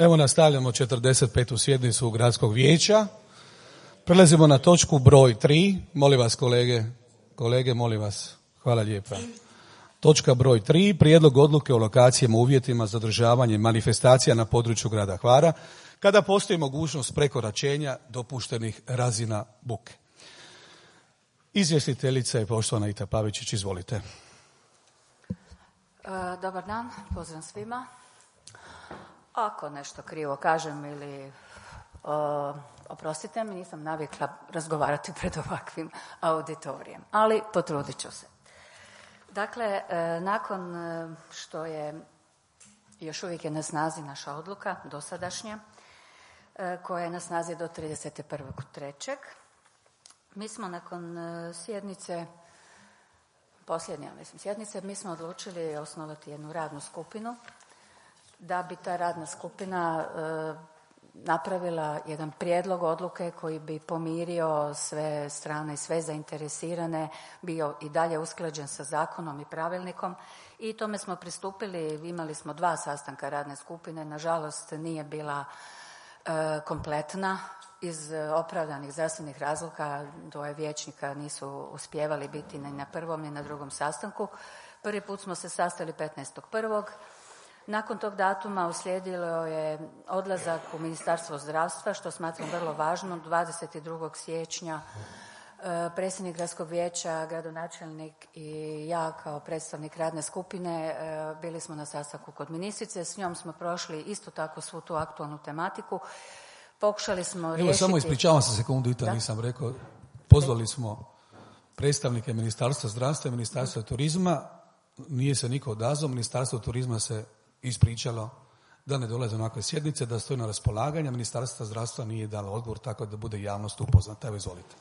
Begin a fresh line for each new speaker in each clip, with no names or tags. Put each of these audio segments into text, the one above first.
Evo nastavljamo 45. sjednicu Gradskog vijeća. Prelazimo na točku broj 3. Molim vas kolege, molim vas. Hvala lijepa. Točka broj 3. Prijedlog odluke o lokacijama, uvjetima za održavanje manifestacija na području grada Hvara kada postoji mogućnost prekoračenja dopuštenih razina buke. Izvjestiteljica je poštovana Ita Pavičić, izvolite.
Dobar dan, pozdrav svima. Ako nešto krivo kažem ili oprostite mi, nisam navikla razgovarati pred ovakvim auditorijem, ali potrudit ću se. Dakle, nakon što je još uvijek je na snazi naša odluka dosadašnja, koja je na snazi do 31.3. Mi smo nakon posljednje sjednice, mi smo odlučili osnovati jednu radnu skupinu da bi ta radna skupina napravila jedan prijedlog odluke koji bi pomirio sve strane i sve zainteresirane, bio i dalje usklađen sa zakonom i pravilnikom i tome smo pristupili. Imali smo 2 sastanka radne skupine, nažalost nije bila kompletna iz opravdanih zdravstvenih razloga. 2 vijećnika nisu uspijevali biti ni na prvom ni na drugom sastanku. Prvi put smo se sastali 15.1. Nakon tog datuma uslijedilo je odlazak u Ministarstvo zdravstva, što smatram vrlo važno. 22. siječnja predsjednik Gradskog vijeća, gradonačelnik i ja kao predstavnik radne skupine bili smo na sastanku kod ministrice. S njom smo prošli isto tako svu tu aktualnu tematiku. Pokušali smo riješiti...
Evo samo ispričavam se sekundu, Ita, nisam rekao. Pozvali smo predstavnike Ministarstva zdravstva i Ministarstva turizma. Nije se niko odazvao. Ministarstvo turizma se ispričalo da ne dolaze na ovakve sjednice, da stoji na raspolaganje. Ministarstvo zdravstva nije dalo odgovor, tako da bude javnost upoznata. Evo, izvolite.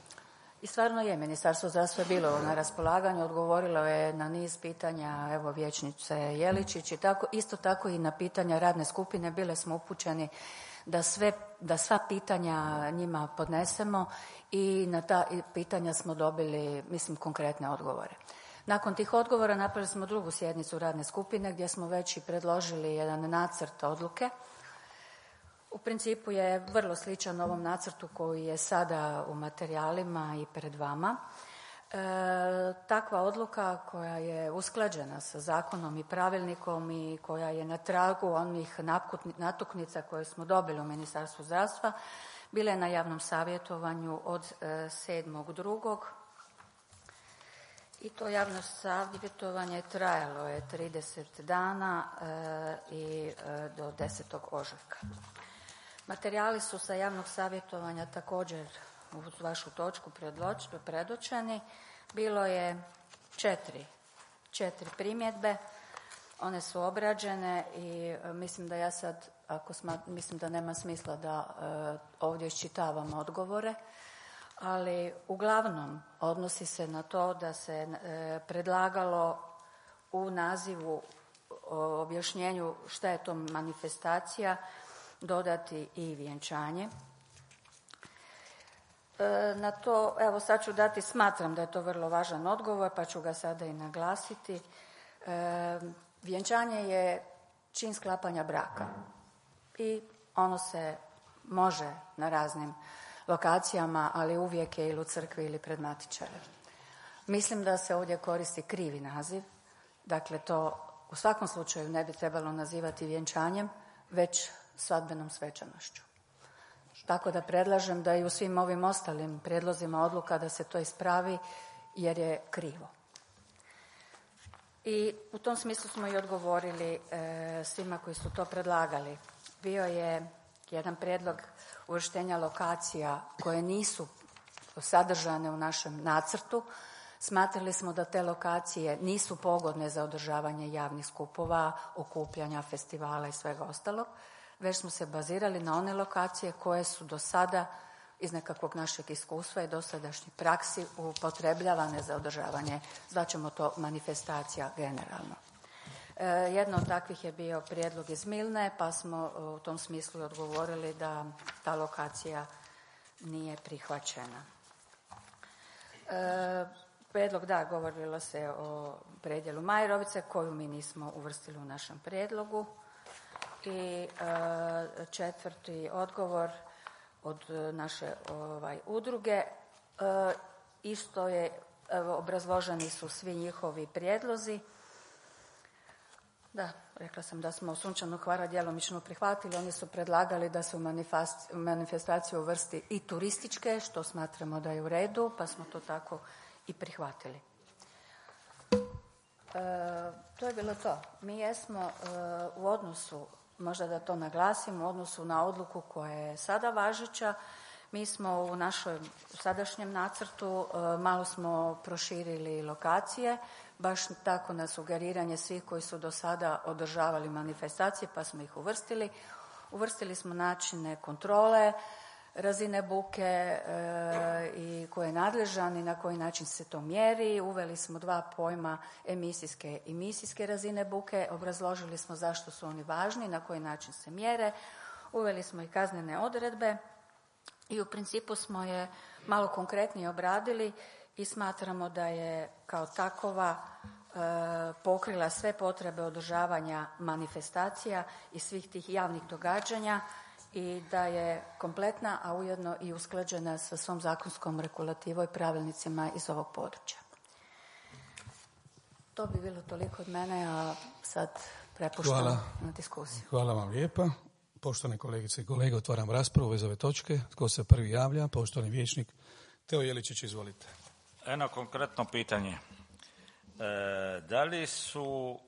I stvarno je, Ministarstvo zdravstva je bilo na raspolaganju, odgovorilo je na niz pitanja, evo vijećnice Jeličić i tako, isto tako i na pitanja radne skupine. Bile smo upućeni da sva pitanja njima podnesemo i na ta pitanja smo dobili, konkretne odgovore. Nakon tih odgovora napravili smo drugu sjednicu radne skupine gdje smo već i predložili jedan nacrt odluke. U principu je vrlo sličan ovom nacrtu koji je sada u materijalima i pred vama. Takva odluka koja je usklađena sa zakonom i pravilnikom i koja je na tragu onih natuknica koje smo dobili u Ministarstvu zdravstva, bila je na javnom savjetovanju od 7.2. I to javno savjetovanje trajalo je 30 dana i do 10. ožujka. Materijali su sa javnog savjetovanja također uz vašu točku predočeni. Bilo je 4 primjedbe. One su obrađene i mislim da ja sad, mislim da nema smisla da ovdje iščitavam odgovore, ali uglavnom odnosi se na to da se predlagalo u nazivu o objašnjenju šta je to manifestacija dodati i vjenčanje. Na to, evo sad ću dati, smatram da je to vrlo važan odgovor, pa ću ga sada i naglasiti. Vjenčanje je čin sklapanja braka i ono se može na raznim lokacijama, ali uvijek je ili u crkvi ili pred matičarem. Mislim da se ovdje koristi krivi naziv, dakle to u svakom slučaju ne bi trebalo nazivati vjenčanjem, već svadbenom svečanošću. Tako da predlažem da i u svim ovim ostalim prijedlozima odluka da se to ispravi jer je krivo. I u tom smislu smo i odgovorili svima koji su to predlagali. Bio je jedan prijedlog uvrštenja lokacija koje nisu sadržane u našem nacrtu. Smatrali smo da te lokacije nisu pogodne za održavanje javnih skupova, okupljanja, festivala i svega ostalog, već smo se bazirali na one lokacije koje su do sada iz nekakvog našeg iskustva i dosadašnjih praksi upotrebljavane za održavanje, zvaćemo to manifestacija generalno. Jedno od takvih je bio prijedlog iz Milne, pa smo u tom smislu odgovorili da ta lokacija nije prihvaćena. Prijedlog, govorilo se o predjelu Majerovice koju mi nismo uvrstili u našem prijedlogu. I četvrti odgovor od naše udruge. Isto je, obrazloženi su svi njihovi prijedlozi. Da, rekla sam da smo Sunčanog Hvara djelomično prihvatili. Oni su predlagali da se u manifestaciju uvrsti i turističke, što smatramo da je u redu, pa smo to tako i prihvatili. To je bilo to. Mi jesmo u odnosu, možda da to naglasim, u odnosu na odluku koja je sada važeća, mi smo u našoj sadašnjem nacrtu malo smo proširili lokacije, baš tako na sugeriranje svih koji su do sada održavali manifestacije, pa smo ih uvrstili. Uvrstili smo načine kontrole, razine buke i ko je nadležan i na koji način se to mjeri. Uveli smo 2 pojma emisijske i misijske razine buke. Obrazložili smo zašto su oni važni, na koji način se mjere. Uveli smo i kaznene odredbe i u principu smo je malo konkretnije obradili i smatramo da je kao takova pokrila sve potrebe održavanja manifestacija i svih tih javnih događanja i da je kompletna, a ujedno i usklađena sa svom zakonskom regulativom i pravilnicima iz ovog područja. To bi bilo toliko od mene, a sad prepuštam na diskusiju.
Hvala vam lijepa. Poštovane kolegice i kolege, otvaram raspravu iz ove točke. Tko se prvi javlja? Poštovani vijećnik Teo Jeličić, izvolite.
Jedno konkretno pitanje. Da li su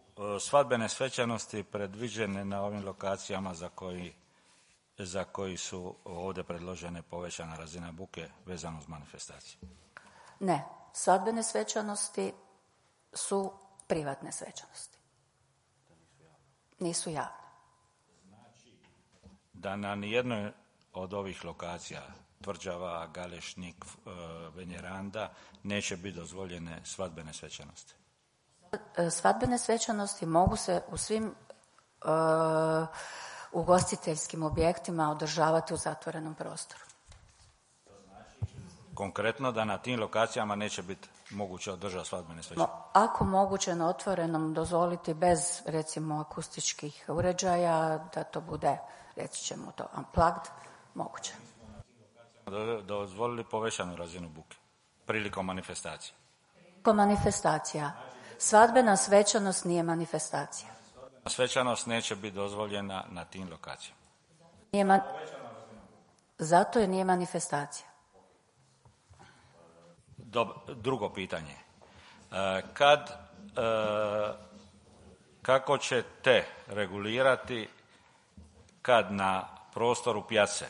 svadbene svečanosti predviđene na ovim lokacijama za koji su ovdje predložene povećana razina buke vezano uz manifestaciju?
Ne. Svadbene svečanosti su privatne svečanosti. Nisu javne.
Znači da na nijednoj od ovih lokacija, Tvrđava, Galešnik, Venjeranda, neće biti dozvoljene svadbene svečanosti?
Svadbene svečanosti mogu se u svim ugostiteljskim objektima održavati u zatvorenom prostoru.
To znači konkretno da na tim lokacijama neće biti moguće održati svadbene svečanosti?
Ako moguće na otvorenom dozvoliti bez, recimo, akustičkih uređaja, da to bude, reći ćemo to, unplugged, moguće.
Dozvolili povećanu razinu buke prilikom manifestacije?
Prilikom manifestacija. Svadbena svečanost nije manifestacija.
Svečanost neće biti dozvoljena na tim lokacijama?
Zato jer nije manifestacija.
Drugo pitanje. Kako ćete regulirati kad na prostoru pijace,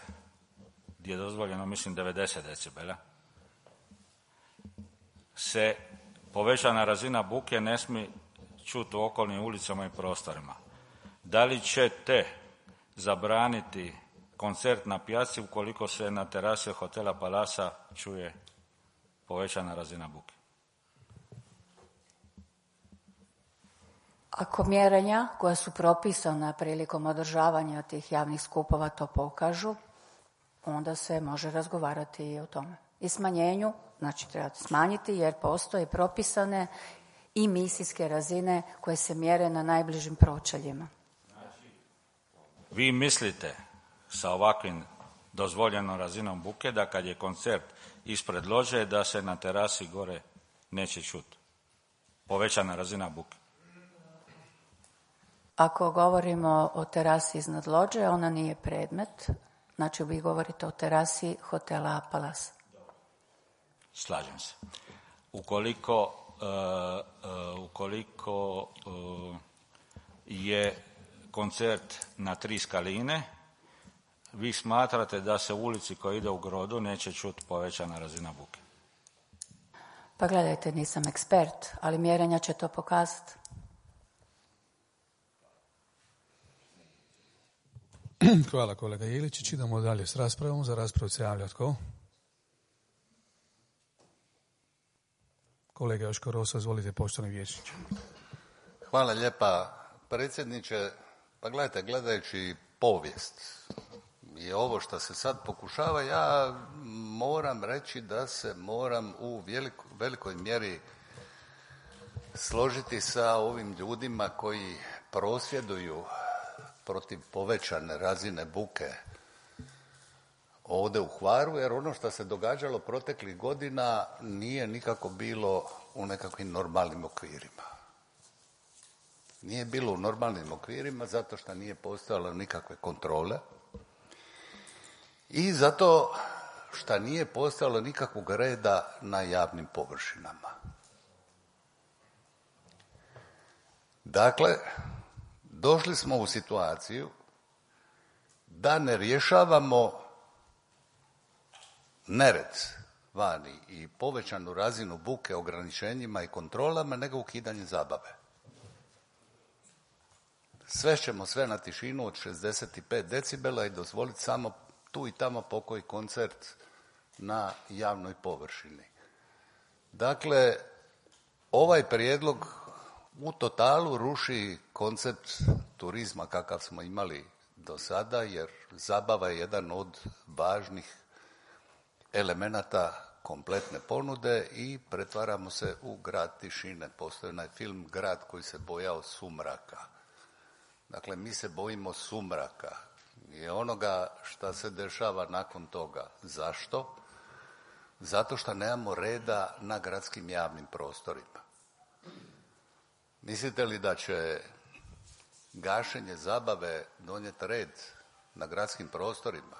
gdje je dozvoljeno, mislim, 90 decibela, se povećana razina buke ne smije čuti u okolnim ulicama i prostorima? Da li ćete zabraniti koncert na pijaci ukoliko se na terasi hotela Palasa čuje povećana razina buke?
Ako mjerenja koja su propisana prilikom održavanja tih javnih skupova to pokažu, onda se može razgovarati i o tome. I smanjenju, znači treba smanjiti jer postoje propisane i misijske razine koje se mjere na najbližim pročeljima.
Vi mislite sa ovakvim dozvoljenom razinom buke da kad je koncert ispred lođe da se na terasi gore neće čuti povećana razina buke?
Ako govorimo o terasi iznad lođe, ona nije predmet. Znači vi govorite o terasi hotela Palas.
Slažem se. Ukoliko je koncert na 3 skaline, vi smatrate da se u ulici koja ide u Grodu neće čuti povećana razina buke?
Pa gledajte, nisam ekspert, ali mjerenja će to pokazati.
Hvala kolega Iličić. Idemo dalje s raspravom. Za raspravu se javlja tko? Kolega Joško Rosa, izvolite, poštovani vijećniče.
Hvala lijepa predsjedniče. Pa gledajte, gledajući povijest i ovo što se sad pokušava, ja moram reći da se moram u velikoj mjeri složiti sa ovim ljudima koji prosvjeduju protiv povećane razine buke ovdje u Hvaru, jer ono što se događalo proteklih godina nije nikako bilo u nekakvim normalnim okvirima. Nije bilo u normalnim okvirima zato što nije postojalo nikakve kontrole i zato što nije postojalo nikakvog reda na javnim površinama. Dakle, došli smo u situaciju da ne rješavamo nered vani i povećanu razinu buke ograničenjima i kontrolama, nego ukidanje zabave. Svešćemo sve na tišinu od 65 decibela i dozvoliti samo tu i tamo pokoji koncert na javnoj površini. Dakle, ovaj prijedlog u totalu ruši koncept turizma kakav smo imali do sada, jer zabava je jedan od važnih elemenata kompletne ponude i pretvaramo se u grad tišine. Postoji onaj film Grad koji se bojao sumraka. Dakle, mi se bojimo sumraka i onoga šta se dešava nakon toga. Zašto? Zato što nemamo reda na gradskim javnim prostorima. Mislite li da će gašenje zabave donijeti red na gradskim prostorima?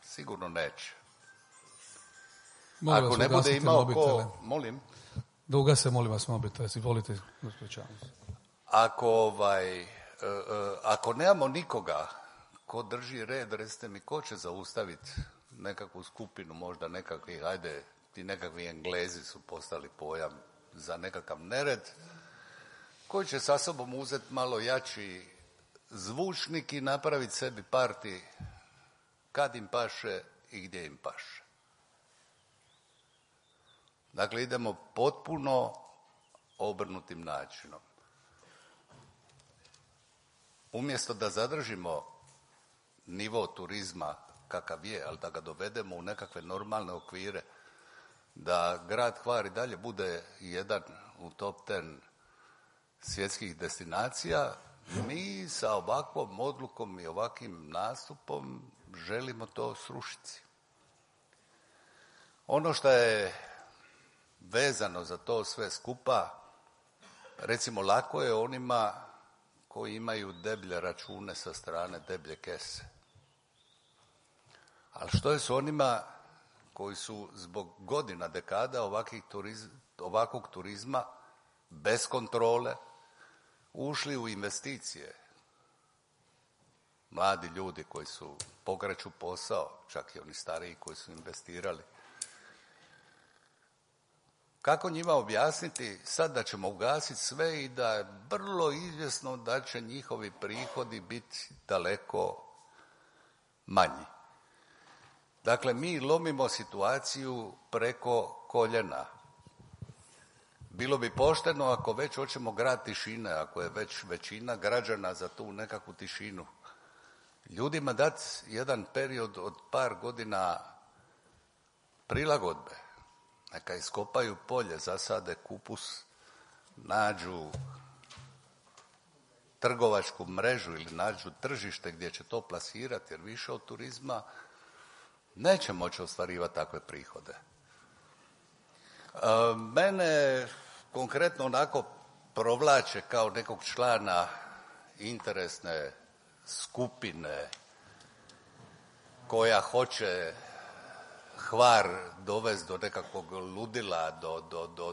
Sigurno neće.
Molim
Ako
vas,
ne bude
ugasite
imao
mobitele.
ko... Molim?
Da ugase, molim vas, mobitel. Izvolite, gospođa.
Ako nemamo nikoga ko drži red, recite mi ko će zaustaviti nekakvu skupinu, možda nekakvih, ti nekakvi Englezi su postali pojam za nekakav nered, koji će sa sobom uzeti malo jači zvučnik i napraviti sebi parti kad im paše i gdje im paše. Dakle, idemo potpuno obrnutim načinom. Umjesto da zadržimo nivo turizma kakav je, ali da ga dovedemo u nekakve normalne okvire, da grad Hvar i dalje bude jedan u top 10 svjetskih destinacija, mi sa ovakvom odlukom i ovakvim nastupom želimo to srušiti. Ono što je vezano za to sve skupa, recimo lako je onima koji imaju deblje račune sa strane deblje kese. Ali što je s onima koji su zbog godina, dekada ovakvog turizma bez kontrole ušli u investicije? Mladi ljudi koji su pokreću posao, čak i oni stariji koji su investirali. Kako njima objasniti sad da ćemo ugasiti sve i da je vrlo izvjesno da će njihovi prihodi biti daleko manji? Dakle, mi lomimo situaciju preko koljena. Bilo bi pošteno ako već hoćemo grad tišine, ako je već većina građana za tu nekakvu tišinu, ljudima dati jedan period od par godina prilagodbe. Neka iskopaju polje, zasade kupus, nađu trgovačku mrežu ili nađu tržište gdje će to plasirati, jer više od turizma neće moći ostvarivati takve prihode. Mene konkretno onako provlače kao nekog člana interesne skupine koja hoće Hvar dovesti do nekakvog ludila,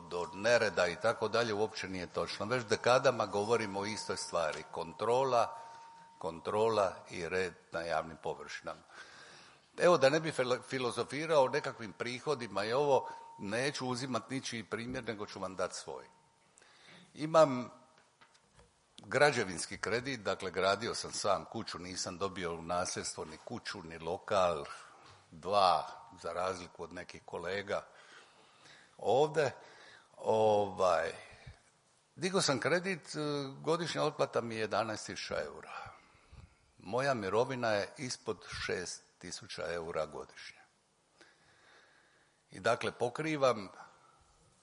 do nereda i tako dalje, uopće nije točno. Već dekadama govorimo o istoj stvari. Kontrola i red na javnim površinama. Evo, da ne bi filozofirao o nekakvim prihodima i ovo, neću uzimati ničiji primjer, nego ću vam dati svoj. Imam građevinski kredit, dakle gradio sam sam kuću, nisam dobio u nasljedstvo ni kuću, ni lokal, 2, za razliku od nekih kolega ovdje. Digao sam kredit, godišnja otplata mi je 11.000 eura. Moja mirovina je ispod 6.000 eura godišnje. I dakle pokrivam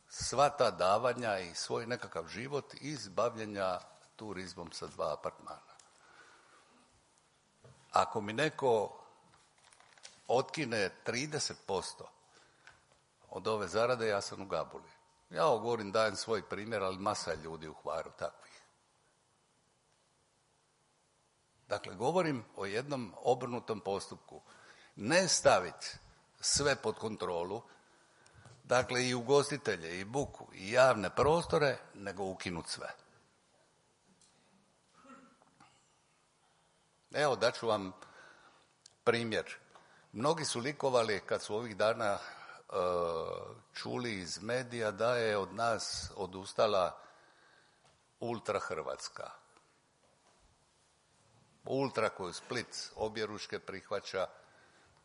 sva ta davanja i svoj nekakav život iz bavljenja turizmom sa 2 apartmana. ako mi neko otkine 30% od ove zarade, ja sam u gabuli. Ja ovo govorim, dajem svoj primjer, ali masa je ljudi u Hvaru takvih. Dakle, govorim o jednom obrnutom postupku. Ne staviti sve pod kontrolu, dakle i ugostitelje, i buku, i javne prostore, nego ukinuti sve. Evo, daću vam primjer. Mnogi su likovali kad su ovih dana čuli iz medija da je od nas odustala Ultra Hrvatska. Ultra koju Split objeručke prihvaća,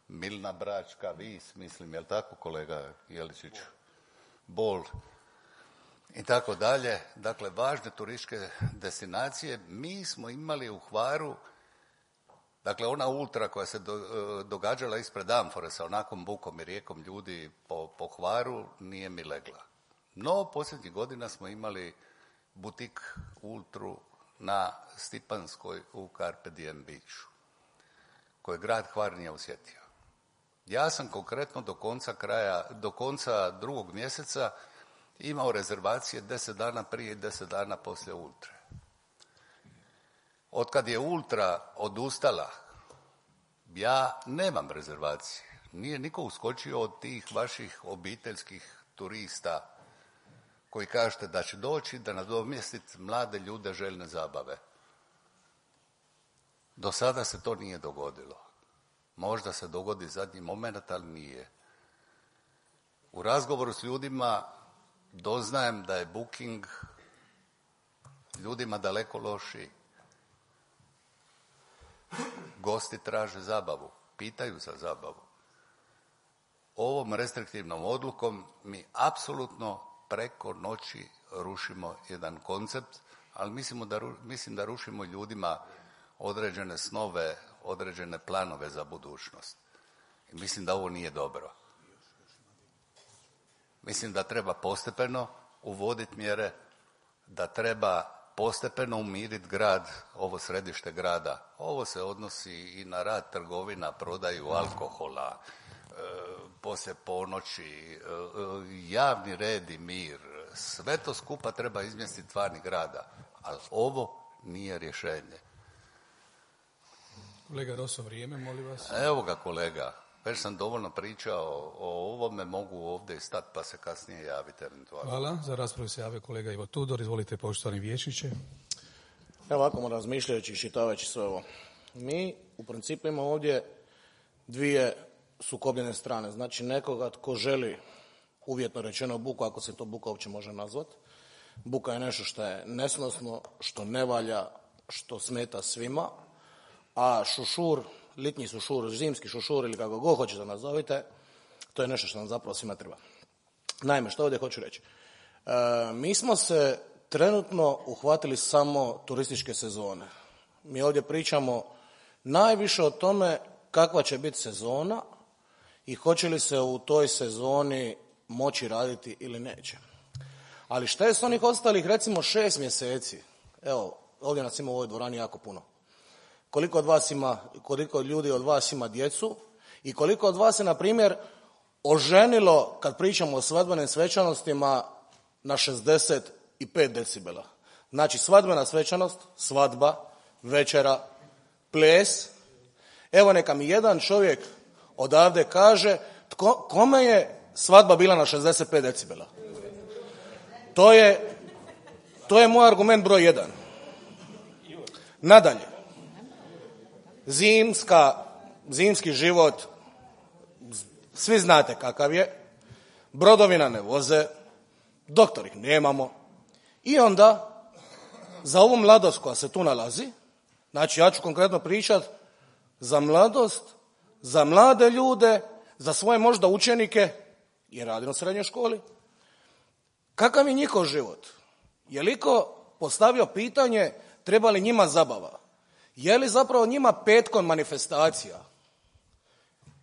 Milna Bračka, Vis, mislim, jel tako kolega Jeličić? Bol i tako dalje. Dakle, važne turističke destinacije. Mi smo imali u Hvaru, dakle, ona ultra koja se događala ispred Amfore sa onakom bukom i rijekom ljudi po Hvaru, nije mi legla. No, posljednjih godina smo imali butik ultru na Stipanskoj u Carpe Diem Beachu, koje grad Hvar nije osjetio. Ja sam konkretno do konca 2. mjeseca imao rezervacije 10 dana prije i 10 dana poslije ultre. Otkad je ultra odustala, ja nemam rezervacije. Nije niko uskočio od tih vaših obiteljskih turista koji kažete da će doći da nadomjestiti mlade ljude željne zabave. Do sada se to nije dogodilo. Možda se dogodi zadnji moment, ali nije. U razgovoru s ljudima doznajem da je booking ljudima daleko lošiji. Gosti traže zabavu, pitaju za zabavu. Ovom restriktivnom odlukom mi apsolutno preko noći rušimo jedan koncept, ali mislim da rušimo ljudima određene snove, određene planove za budućnost. I mislim da ovo nije dobro. Mislim da treba postepeno uvoditi mjere, da treba postepeno umiriti grad, ovo središte grada. Ovo se odnosi i na rad trgovina, prodaju alkohola, poslije ponoći, javni red i mir. Sve to skupa treba izmjestiti van grada, ali ovo nije rješenje.
Kolega Roso, vrijeme, molim vas.
Evo ga kolega, već sam dovoljno pričao o ovome, mogu ovdje stati pa se kasnije javiti eventualno.
Hvala, za raspravu se javio kolega Ivo Tudor, izvolite poštovani vijećniče.
Evo ovako, razmišljajući i čitavajući sve ovo. Mi u principu imamo ovdje dvije sukobljene strane. Znači nekoga tko želi, uvjetno rečeno, buku, ako se to buka uopće može nazvati. Buka je nešto što je nesnosno, što ne valja, što smeta svima, a šušur, litnji šušur, zimski šušur ili kako god hoćete nazovite, to je nešto što nam zapravo svima treba. Naime, što ovdje hoću reći? Mi smo se trenutno uhvatili samo turističke sezone. Mi ovdje pričamo najviše o tome kakva će biti sezona i hoće li se u toj sezoni moći raditi ili neće. Ali šta je s onih ostalih, recimo 6 mjeseci? Evo, ovdje nas ima u ovoj dvorani jako puno. Koliko ljudi od vas ima djecu i koliko od vas se, na primjer, oženilo, kad pričamo o svadbenim svečanostima, na 65 decibela. Znači, svadbena svečanost, svadba, večera, ples. Evo, neka mi jedan čovjek odavde kaže kome je svadba bila na 65 decibela. To je moj argument broj 1. Nadalje. Zimski život, svi znate kakav je, brodovi nam ne voze, doktor ih nemamo i onda za ovu mladost koja se tu nalazi, znači ja ću konkretno pričati za mladost, za mlade ljude, za svoje možda učenike, jer radim u srednjoj školi, kakav je njihov život? Je li ko postavio pitanje treba li njima zabava? Je li zapravo njima petkom manifestacija?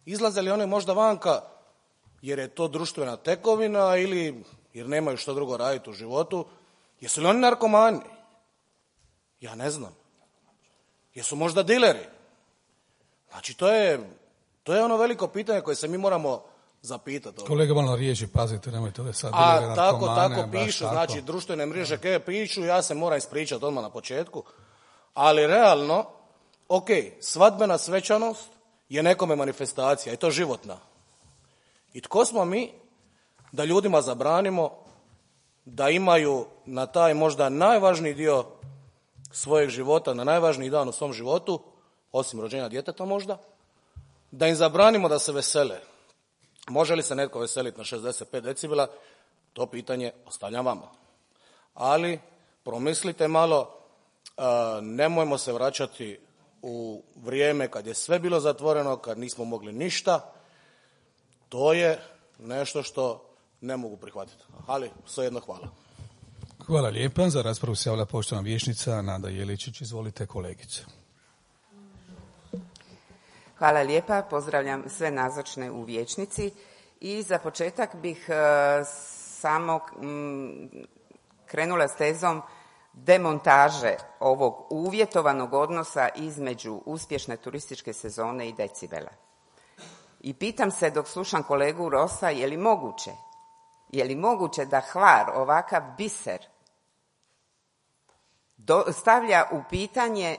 Izlaze li oni možda vanka jer je to društvena tekovina ili jer nemaju što drugo raditi u životu? Jesu li oni narkomani? Ja ne znam. Jesu možda dileri? Znači, to je ono veliko pitanje koje se mi moramo zapitati.
Kolega, malo riječi, pazite, nemojte ove sad
A tako pišu, znači društvene mreže koje pišu, ja se moram ispričati odmah na početku, ali realno, ok, svadbena svečanost je nekome manifestacija i to životna. I tko smo mi da ljudima zabranimo da imaju na taj možda najvažniji dio svojeg života, na najvažniji dan u svom životu, osim rođenja djeteta možda, da im zabranimo da se vesele. Može li se netko veseliti na 65 decibela? To pitanje ostavljam vama. Ali promislite malo, nemojmo se vraćati u vrijeme kad je sve bilo zatvoreno, kad nismo mogli ništa. To je nešto što ne mogu prihvatiti. Ali svejedno hvala.
Hvala lijepa. Za raspravu se javila poštovana vijećnica Nada Jeličić. Izvolite, kolegice.
Hvala lijepa. Pozdravljam sve nazočne u vijećnici. I za početak bih samo krenula s tezom demontaže ovog uvjetovanog odnosa između uspješne turističke sezone i decibela. I pitam se dok slušam kolegu Rosa, je li moguće da Hvar, ovakav biser, stavlja u pitanje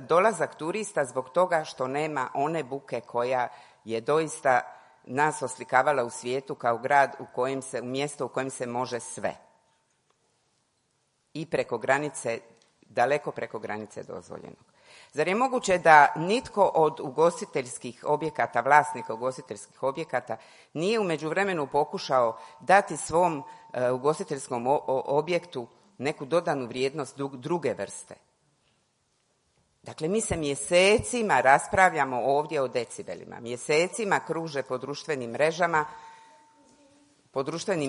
dolazak turista zbog toga što nema one buke koja je doista nas oslikavala u svijetu kao grad u mjesto u kojem se može sve. I preko granice, daleko preko granice dozvoljenog. Zar je moguće da nitko od ugostiteljskih objekata, vlasnika ugostiteljskih objekata, nije u međuvremenu pokušao dati svom ugostiteljskom objektu neku dodanu vrijednost druge vrste? Dakle, mi se mjesecima raspravljamo ovdje o decibelima. Mjesecima kruže po društvenim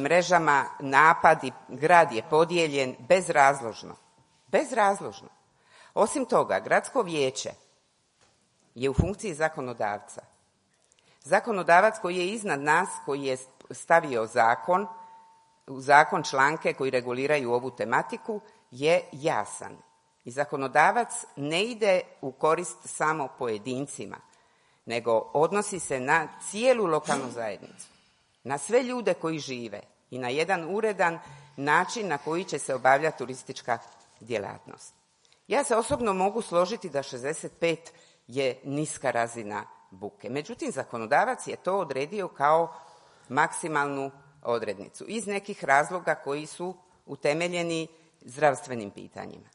mrežama napadi, grad je podijeljen bezrazložno. Osim toga, gradsko vijeće je u funkciji zakonodavca. Zakonodavac koji je iznad nas, koji je stavio u zakon članke koji reguliraju ovu tematiku, je jasan. I zakonodavac ne ide u korist samo pojedincima, nego odnosi se na cijelu lokalnu zajednicu, na sve ljude koji žive i na jedan uredan način na koji će se obavljati turistička djelatnost. Ja se osobno mogu složiti da 65 je niska razina buke. Međutim, zakonodavac je to odredio kao maksimalnu odrednicu iz nekih razloga koji su utemeljeni zdravstvenim pitanjima.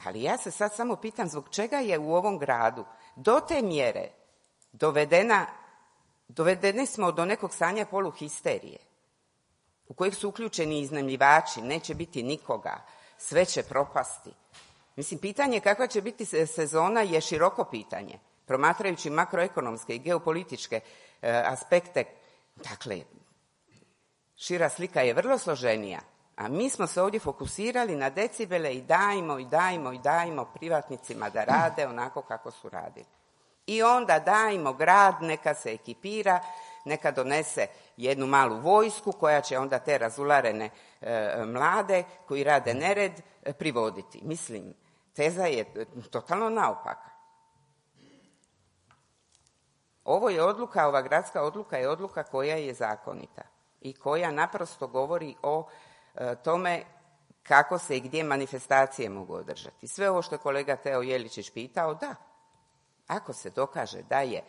Ali ja se sad samo pitam zbog čega je u ovom gradu do te mjere dovedeni smo do nekog stanja poluhisterije u kojeg su uključeni iznajmljivači, neće biti nikoga, sve će propasti. Mislim, pitanje kakva će biti sezona je široko pitanje. Promatrajući makroekonomske i geopolitičke aspekte, dakle, šira slika je vrlo složenija. A mi smo se ovdje fokusirali na decibele i dajmo privatnicima da rade onako kako su radili. I onda dajmo grad, neka se ekipira, neka donese jednu malu vojsku koja će onda te razularene mlade koji rade nered privoditi. Mislim, teza je totalno naopaka. Ova gradska odluka je odluka koja je zakonita i koja naprosto govori o tome kako se i gdje manifestacije mogu održati. Sve ovo što je kolega Teo Jeličić pitao, da, ako se dokaže da je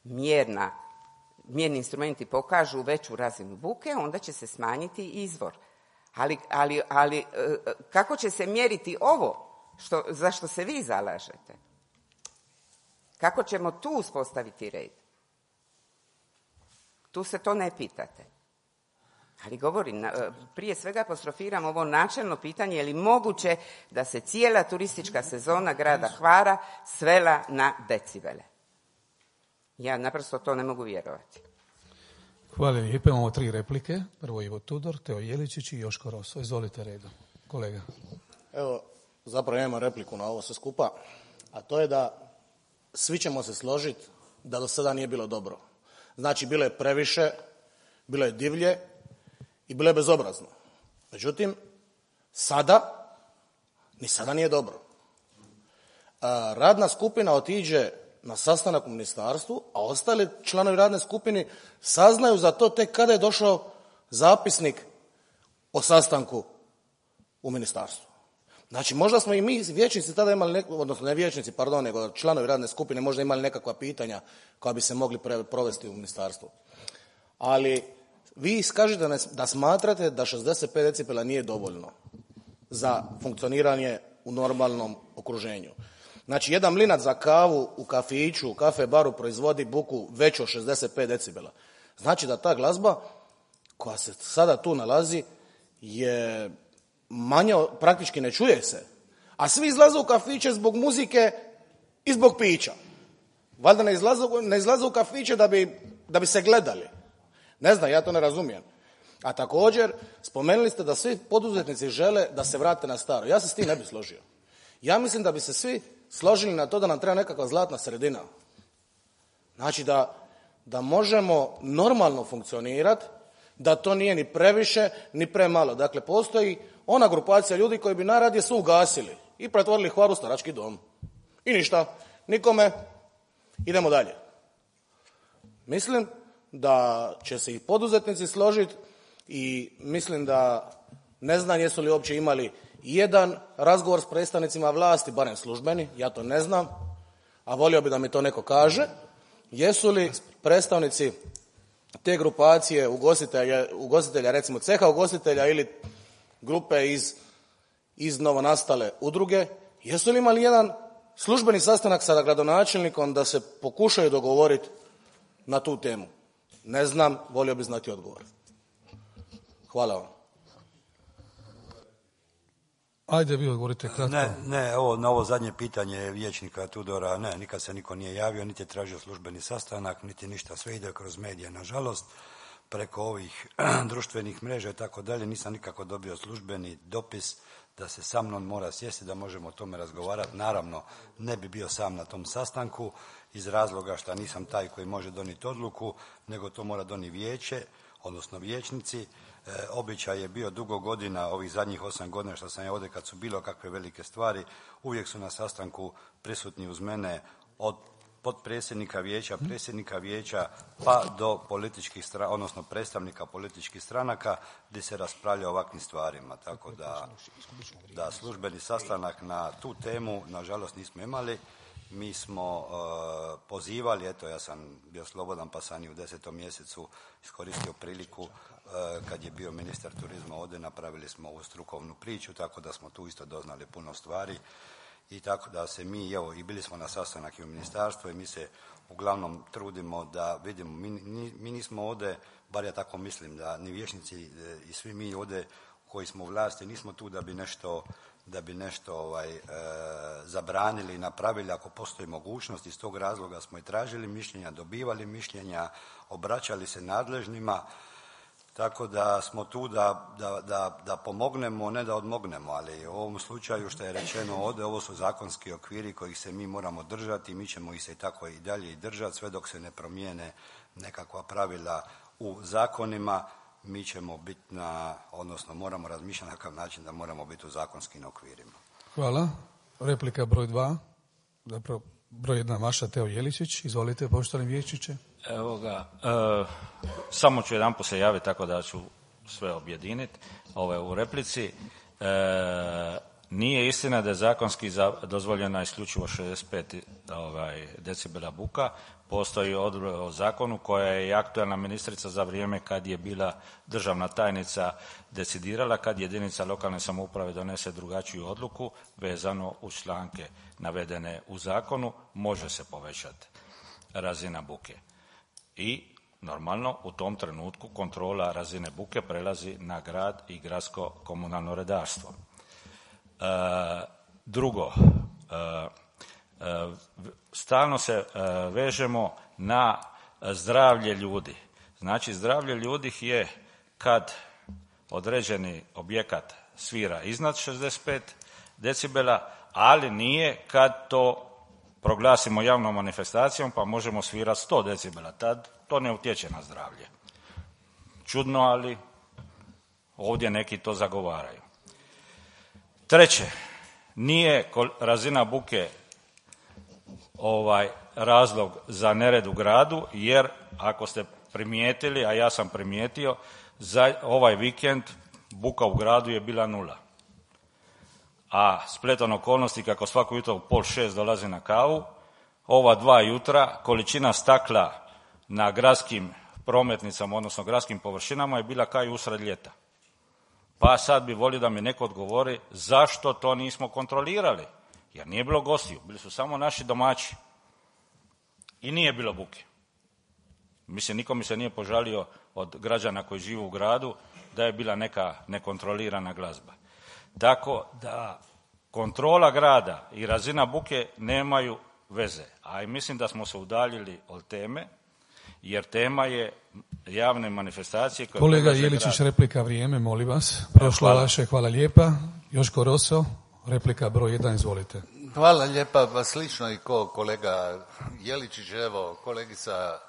mjerni instrumenti pokažu veću razinu buke, onda će se smanjiti izvor. Ali kako će se mjeriti ovo za što se vi zalažete? Kako ćemo tu uspostaviti red? Tu se to ne pitate. Ali govorim, prije svega apostrofiram ovo načelno pitanje, je li moguće da se cijela turistička sezona grada Hvara svela na decibele? Ja naprosto to ne mogu vjerovati.
Hvala lijepo. Imamo 3 replike. Prvo Ivo Tudor, Teo Jeličić i Joško Roso. Izvolite redom, kolega.
Evo, zapravo imamo repliku na ovo sve skupa, a to je da svi ćemo se složiti da do sada nije bilo dobro. Znači, bilo je previše, bilo je divlje i bilo je bezobrazno. Međutim, ni sada nije dobro. Radna skupina otiđe na sastanak u ministarstvu, a ostali članovi radne skupine saznaju za to tek kada je došao zapisnik o sastanku u ministarstvu. Znači, možda smo i mi vijećnici tada imali, odnosno ne vijećnici, pardon, nego članovi radne skupine možda imali nekakva pitanja koja bi se mogli provesti u ministarstvu. Ali vi iskažete da smatrate da 65 decibela nije dovoljno za funkcioniranje u normalnom okruženju. Znači, jedan mlinac za kavu u kafiću, u kafe baru proizvodi buku veću od 65 decibela. Znači da ta glazba koja se sada tu nalazi je manja, praktički ne čuje se. A svi izlaze u kafiće zbog muzike i zbog pića. Valjda ne izlaze u kafiće da bi se gledali. Ne znam, ja to ne razumijem. A također, spomenuli ste da svi poduzetnici žele da se vrate na staro. Ja se s tim ne bi složio. Ja mislim da bi se svi složili na to da nam treba nekakva zlatna sredina. Znači da možemo normalno funkcionirati, da to nije ni previše, ni premalo. Dakle, postoji ona grupacija ljudi koji bi najradije sve ugasili i pretvorili Hvar u starački dom. I ništa, nikome, idemo dalje. Mislim da će se i poduzetnici složiti i mislim da ne znam jesu li uopće imali jedan razgovor s predstavnicima vlasti, barem službeni, ja to ne znam, a volio bi da mi to neko kaže. Jesu li predstavnici te grupacije ugostitelja, recimo ceha ugostitelja ili grupe iz novonastale udruge, jesu li imali jedan službeni sastanak sa gradonačelnikom da se pokušaju dogovoriti na tu temu? Ne znam, volio bi znati odgovor. Hvala vam.
Ajde, vi odgovorite kratko.
Ne, na ovo zadnje pitanje vijećnika Tudora, ne, nikad se niko nije javio, niti je tražio službeni sastanak, niti ništa, sve ide kroz medije, nažalost, preko ovih društvenih mreža i tako dalje, nisam nikako dobio službeni dopis da se sa mnom mora sjesti, da možemo o tome razgovarati. Naravno, ne bi bio sam na tom sastanku iz razloga što nisam taj koji može donijeti odluku, nego to mora donijeti vijeće, odnosno vijećnici. Običaj je bio dugo godina, ovih zadnjih 8 godina što sam ja ovdje, kad su bilo kakve velike stvari, uvijek su na sastanku prisutni uz mene od potpredsjednika vijeća, predsjednika vijeća, pa do političkih odnosno predstavnika političkih stranaka gdje se raspravlja o ovakvim stvarima. Tako da službeni sastanak na tu temu, nažalost, nismo imali. Mi smo pozivali, eto, ja sam bio slobodan pa sam i u 10. mjesecu iskoristio priliku kad je bio ministar turizma ovdje, napravili smo ovu strukovnu priču, tako da smo tu isto doznali puno stvari i tako da se mi, evo, i bili smo na sastanak i u ministarstvu i mi se uglavnom trudimo da vidimo, mi nismo ovdje, bar ja tako mislim, da ni vijećnici i svi mi ovdje koji smo u vlasti nismo tu da bi nešto zabranili i napravili ako postoji mogućnost. Iz tog razloga smo i tražili mišljenja, dobivali mišljenja, obraćali se nadležnima, tako da smo tu da pomognemo, ne da odmognemo, ali u ovom slučaju što je rečeno ovdje, ovo su zakonski okviri kojih se mi moramo držati i mi ćemo ih se tako i dalje i držati sve dok se ne promijene nekakva pravila u zakonima. Mi ćemo biti odnosno moramo razmišljati na takav način da moramo biti u zakonskim okvirima.
Hvala. Replika broj 2. Zapravo broj 1 vaša, Teo Jeličić. Izvolite, poštovani vijećniče.
Evo ga, samo ću jedanput se javiti tako da ću sve objediniti u replici. Nije istina da je zakonski dozvoljena isključivo 65 decibela buka. Postoji odredba o zakonu koja je i aktualna ministrica za vrijeme kad je bila državna tajnica decidirala, kad jedinica lokalne samouprave donese drugačiju odluku vezano uz članke navedene u zakonu, može se povećati razina buke. I normalno u tom trenutku kontrola razine buke prelazi na grad i gradsko komunalno redarstvo. Drugo, stalno se vežemo na zdravlje ljudi. Znači, zdravlje ljudi je kad određeni objekat svira iznad 65 decibela, ali nije kad to proglasimo javnom manifestacijom pa možemo svirati 100 decibela. Tad to ne utječe na zdravlje. Čudno, ali ovdje neki to zagovaraju. Treće, nije razina buke razlog za nered u gradu, jer ako ste primijetili, a ja sam primijetio, za ovaj vikend buka u gradu je bila 0. A spletom okolnosti kako svako jutro u 5:30 dolazi na kavu, ova 2 jutra količina stakla na gradskim prometnicama, odnosno gradskim površinama je bila kao i usred ljeta. Pa sad bi volio da mi neko odgovori zašto to nismo kontrolirali. Jer nije bilo gostiju, bili su samo naši domaći. I nije bilo buke. Mislim, niko mi se nije požalio od građana koji žive u gradu da je bila neka nekontrolirana glazba. Tako da kontrola grada i razina buke nemaju veze. A i mislim da smo se udaljili od teme, jer tema je javne manifestacije.
Kolega Jeličić, replika vrijeme, molim vas. Prošlo vaše, hvala lijepa. Joško Roso, replika broj 1, izvolite.
Hvala lijepa, pa slično i ko kolega Jeličić, evo, kolegica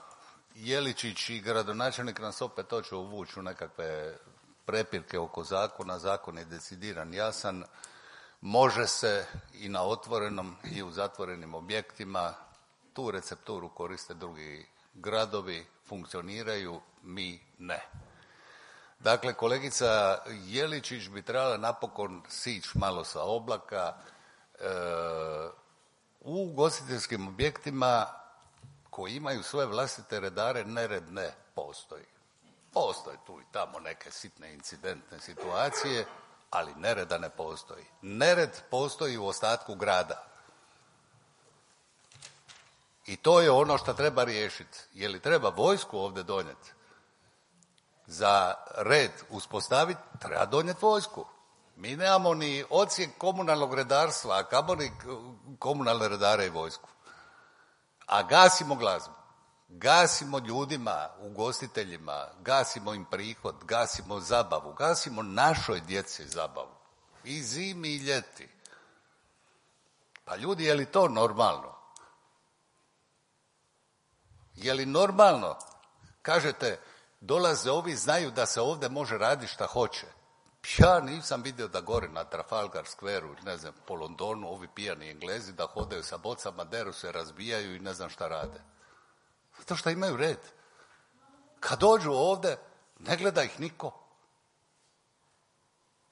Jeličić i gradonačelnik nas opet hoće uvući u nekakve prepirke oko zakona. Zakon je decidiran, jasan, može se i na otvorenom i u zatvorenim objektima, tu recepturu koriste drugi gradovi, funkcioniraju, mi ne. Dakle, kolegica Jeličić bi trebala napokon sići malo sa oblaka. U ugostiteljskim objektima koji imaju svoje vlastite redare nered ne postoji. Postoje tu i tamo neke sitne incidentne situacije, ali nereda ne postoji. Nered postoji u ostatku grada. I to je ono što treba riješiti. Je li treba vojsku ovdje donijeti? Za red uspostaviti treba donijeti vojsku. Mi nemamo ni odsjek komunalnog redarstva, a kamoli komunalne redare i vojsku. A gasimo glazbu. Gasimo ljudima, ugostiteljima, gasimo im prihod, gasimo zabavu, gasimo našoj djeci zabavu. I zimi i ljeti. Pa ljudi, je li to normalno? Je li normalno? Kažete, dolaze ovi, znaju da se ovdje može raditi šta hoće. Ja nisam vidio da gore na Trafalgar Squareu, ne znam, po Londonu, ovi pijani Englezi da hodaju sa bocama, deru se, razbijaju i ne znam šta rade. Zato što imaju red. Kad dođu ovdje, ne gleda ih niko.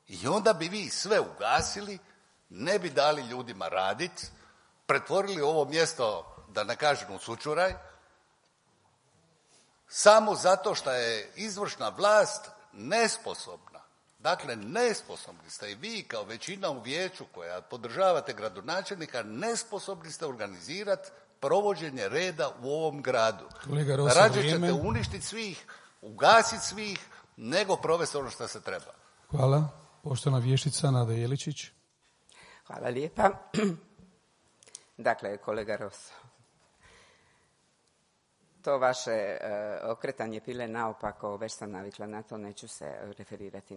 I onda bi vi sve ugasili, ne bi dali ljudima raditi, pretvorili ovo mjesto, da ne kažem, u sučuraj, samo zato što je izvršna vlast nesposobna. Dakle, nesposobni ste i vi kao većina u vijeću koja podržavate gradonačelnika, nesposobni ste organizirati provođenje reda u ovom gradu. Rađe ćete uništiti svih, ugasiti svih, nego provesti ono što se treba.
Hvala. Poštovana vještica Nada Jeličić.
Hvala lijepa. Dakle, kolega Roso, to vaše okretanje pile naopako, već sam navikla na to, neću se referirati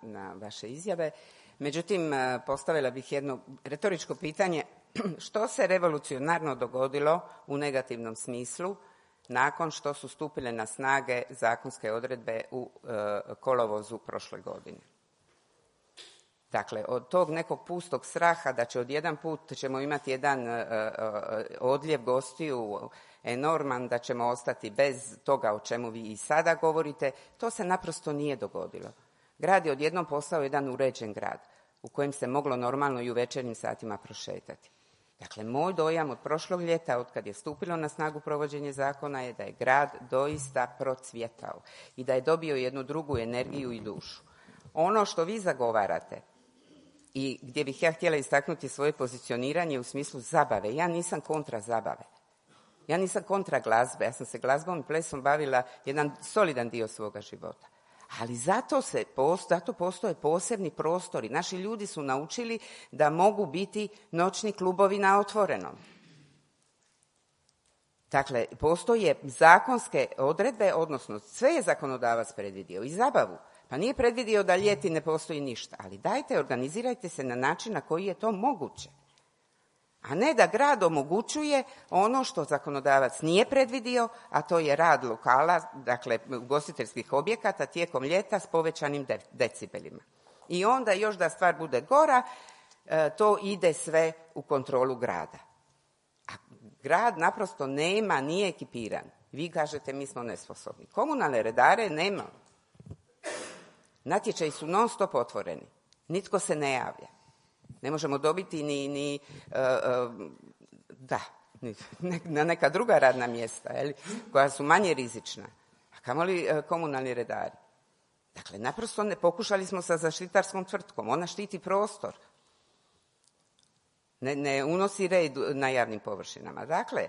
na vaše izjave. Međutim, postavila bih jedno retoričko pitanje. Što se revolucionarno dogodilo u negativnom smislu nakon što su stupile na snage zakonske odredbe u kolovozu prošle godine? Dakle, od tog nekog pustog straha da će odjedan put ćemo imati jedan odljev gostiju enorman, da ćemo ostati bez toga o čemu vi i sada govorite, to se naprosto nije dogodilo. Grad je odjednom postao jedan uređen grad u kojem se moglo normalno i u večernjim satima prošetati. Dakle, moj dojam od prošlog ljeta, od kad je stupilo na snagu provođenje zakona, je da je grad doista procvjetao i da je dobio jednu drugu energiju i dušu. Ono što vi zagovarate i gdje bih ja htjela istaknuti svoje pozicioniranje u smislu zabave, ja nisam kontra zabave. Ja nisam kontra glazbe, ja sam se glazbom i plesom bavila jedan solidan dio svoga života. Ali zato postoje posebni prostori. Naši ljudi su naučili da mogu biti noćni klubovi na otvorenom. Dakle, postoje zakonske odredbe, odnosno sve je zakonodavac predvidio i zabavu. Pa nije predvidio da ljeti ne postoji ništa, ali dajte, organizirajte se na način na koji je to moguće. A ne da grad omogućuje ono što zakonodavac nije predvidio, a to je rad lokala, dakle ugostiteljskih objekata tijekom ljeta s povećanim decibelima. I onda još da stvar bude gora, to ide sve u kontrolu grada. A Grad naprosto nema, nije ekipiran. Vi kažete mi smo nesposobni. Komunalne redare nema. Natječaji su non stop otvoreni. Nitko se ne javlja. Ne možemo dobiti ni na neka druga radna mjesta, koja su manje rizična. A kamoli komunalni redari. Dakle, naprosto pokušali smo sa zaštitarskom tvrtkom. Ona štiti prostor. Ne unosi red na javnim površinama. Dakle,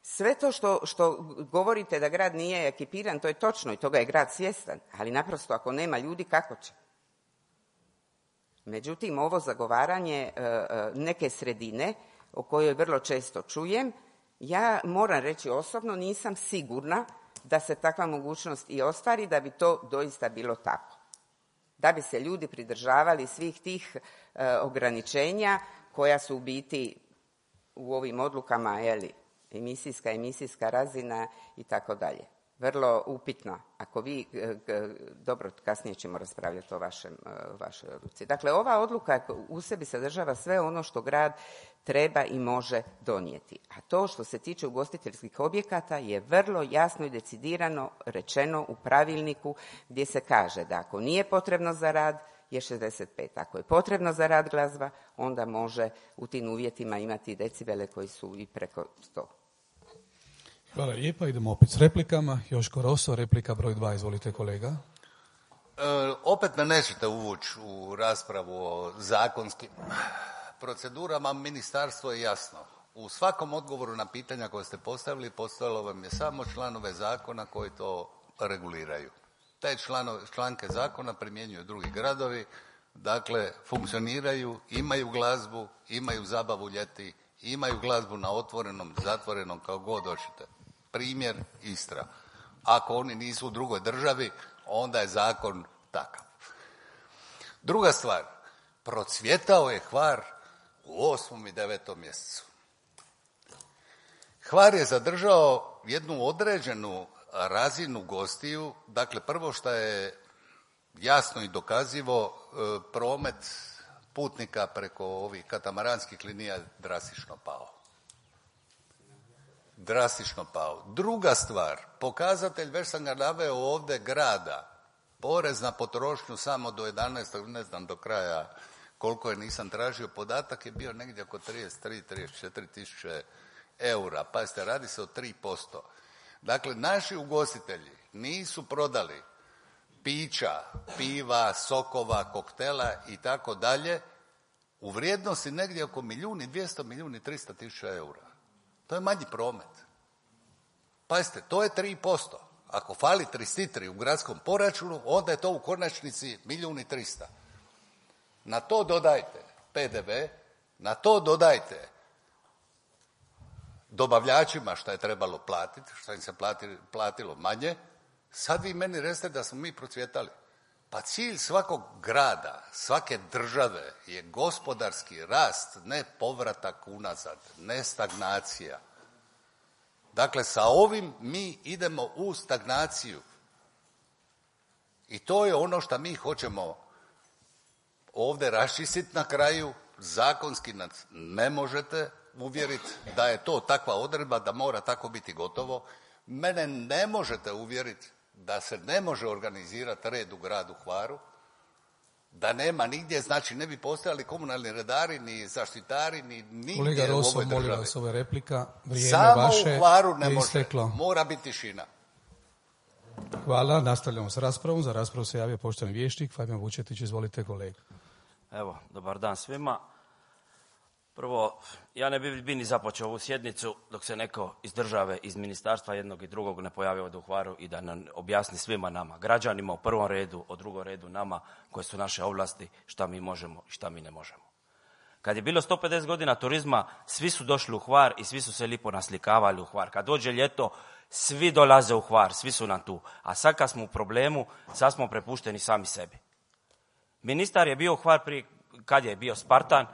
sve to što govorite da grad nije ekipiran, to je točno i toga je grad svjestan. Ali naprosto ako nema ljudi, kako će? Međutim, ovo zagovaranje neke sredine, o kojoj vrlo često čujem, ja moram reći osobno, nisam sigurna da se takva mogućnost i ostvari, da bi to doista bilo tako. Da bi se ljudi pridržavali svih tih ograničenja koja su u biti u ovim odlukama, emisijska razina i tako dalje. Vrlo upitno. Ako vi, dobro, kasnije ćemo raspravljati o vašoj odluci. Dakle, ova odluka u sebi sadržava sve ono što grad treba i može donijeti. A to što se tiče ugostiteljskih objekata je vrlo jasno i decidirano rečeno u pravilniku, gdje se kaže da ako nije potrebno za rad je 65. Ako je potrebno za rad glazba, onda može u tim uvjetima imati decibele koji su i preko 100.
Hvala lijepa. Idemo opet s replikama. Joško Roso, replika broj 2. Izvolite, kolega.
Opet me nećete uvući u raspravu o zakonskim procedurama. Ministarstvo je jasno. U svakom odgovoru na pitanja koje ste postavili, postavilo vam je samo članove zakona koji to reguliraju. Te članke zakona primjenjuju drugi gradovi, dakle funkcioniraju, imaju glazbu, imaju zabavu ljeti, imaju glazbu na otvorenom, zatvorenom, kao god hoćete. Primjer Istra. Ako oni nisu u drugoj državi, onda je zakon takav. Druga stvar, procvjetao je Hvar u 8. i 9. mjesecu. Hvar je zadržao jednu određenu razinu gostiju. Dakle, prvo što je jasno i dokazivo, promet putnika preko ovih katamaranskih linija drastično pao. Druga stvar, pokazatelj, već sam ga naveo ovdje, grada, porez na potrošnju samo do 11. ne znam do kraja koliko je, nisam tražio podatak, je bio negdje oko 33-34 tisuće eura. Pazite, radi se o 3%. Dakle, naši ugostitelji nisu prodali pića, piva, sokova, koktela i tako dalje u vrijednosti negdje oko 1.200.000, 1.300.000 eura. To je manji promet. Pazite, to je 3%. Ako fali 33 u gradskom proračunu, onda je to u konačnici 1.300.000. Na to dodajte PDV, na to dodajte dobavljačima što je trebalo platiti, što im se platilo manje. Sad vi meni recite da smo mi procvjetali. Pa cilj svakog grada, svake države je gospodarski rast, ne povratak unazad, ne stagnacija. Dakle, sa ovim mi idemo u stagnaciju. I to je ono što mi hoćemo ovdje raščistiti na kraju. Zakonski nas ne možete uvjeriti da je to takva odredba, da mora tako biti gotovo. Mene ne možete uvjeriti da se ne može organizirati red u gradu Hvaru, da nema nigdje, znači ne bi postojali komunalni redari, ni zaštitari, ni nigdje.
Kolega Roso,
u ovoj državi.
molim vas, ova replika, vrijeme
samo
vaše
u Hvaru ne
je
može,
isteklo.
mora biti tišina.
Hvala, nastavljamo s raspravom. Za raspravu se javio poštovani vijećnik Fabijan Vučetić. Izvolite, kolega.
Evo, dobar dan svima. Prvo, ja ne bi ni započeo ovu sjednicu dok se neko iz države, iz ministarstva jednog i drugog ne pojavi ovdje u Hvaru i da nam objasni svima nama, građanima u prvom redu, u drugom redu nama, koje su naše ovlasti, šta mi možemo i šta mi ne možemo. Kad je bilo 150 godina turizma, svi su došli u Hvar i svi su se lipo naslikavali u Hvar. Kad dođe ljeto, svi dolaze u Hvar, svi su nam tu. A sad kad smo u problemu, sad smo prepušteni sami sebi. Ministar je bio u Hvar prije, kad je bio Spartan,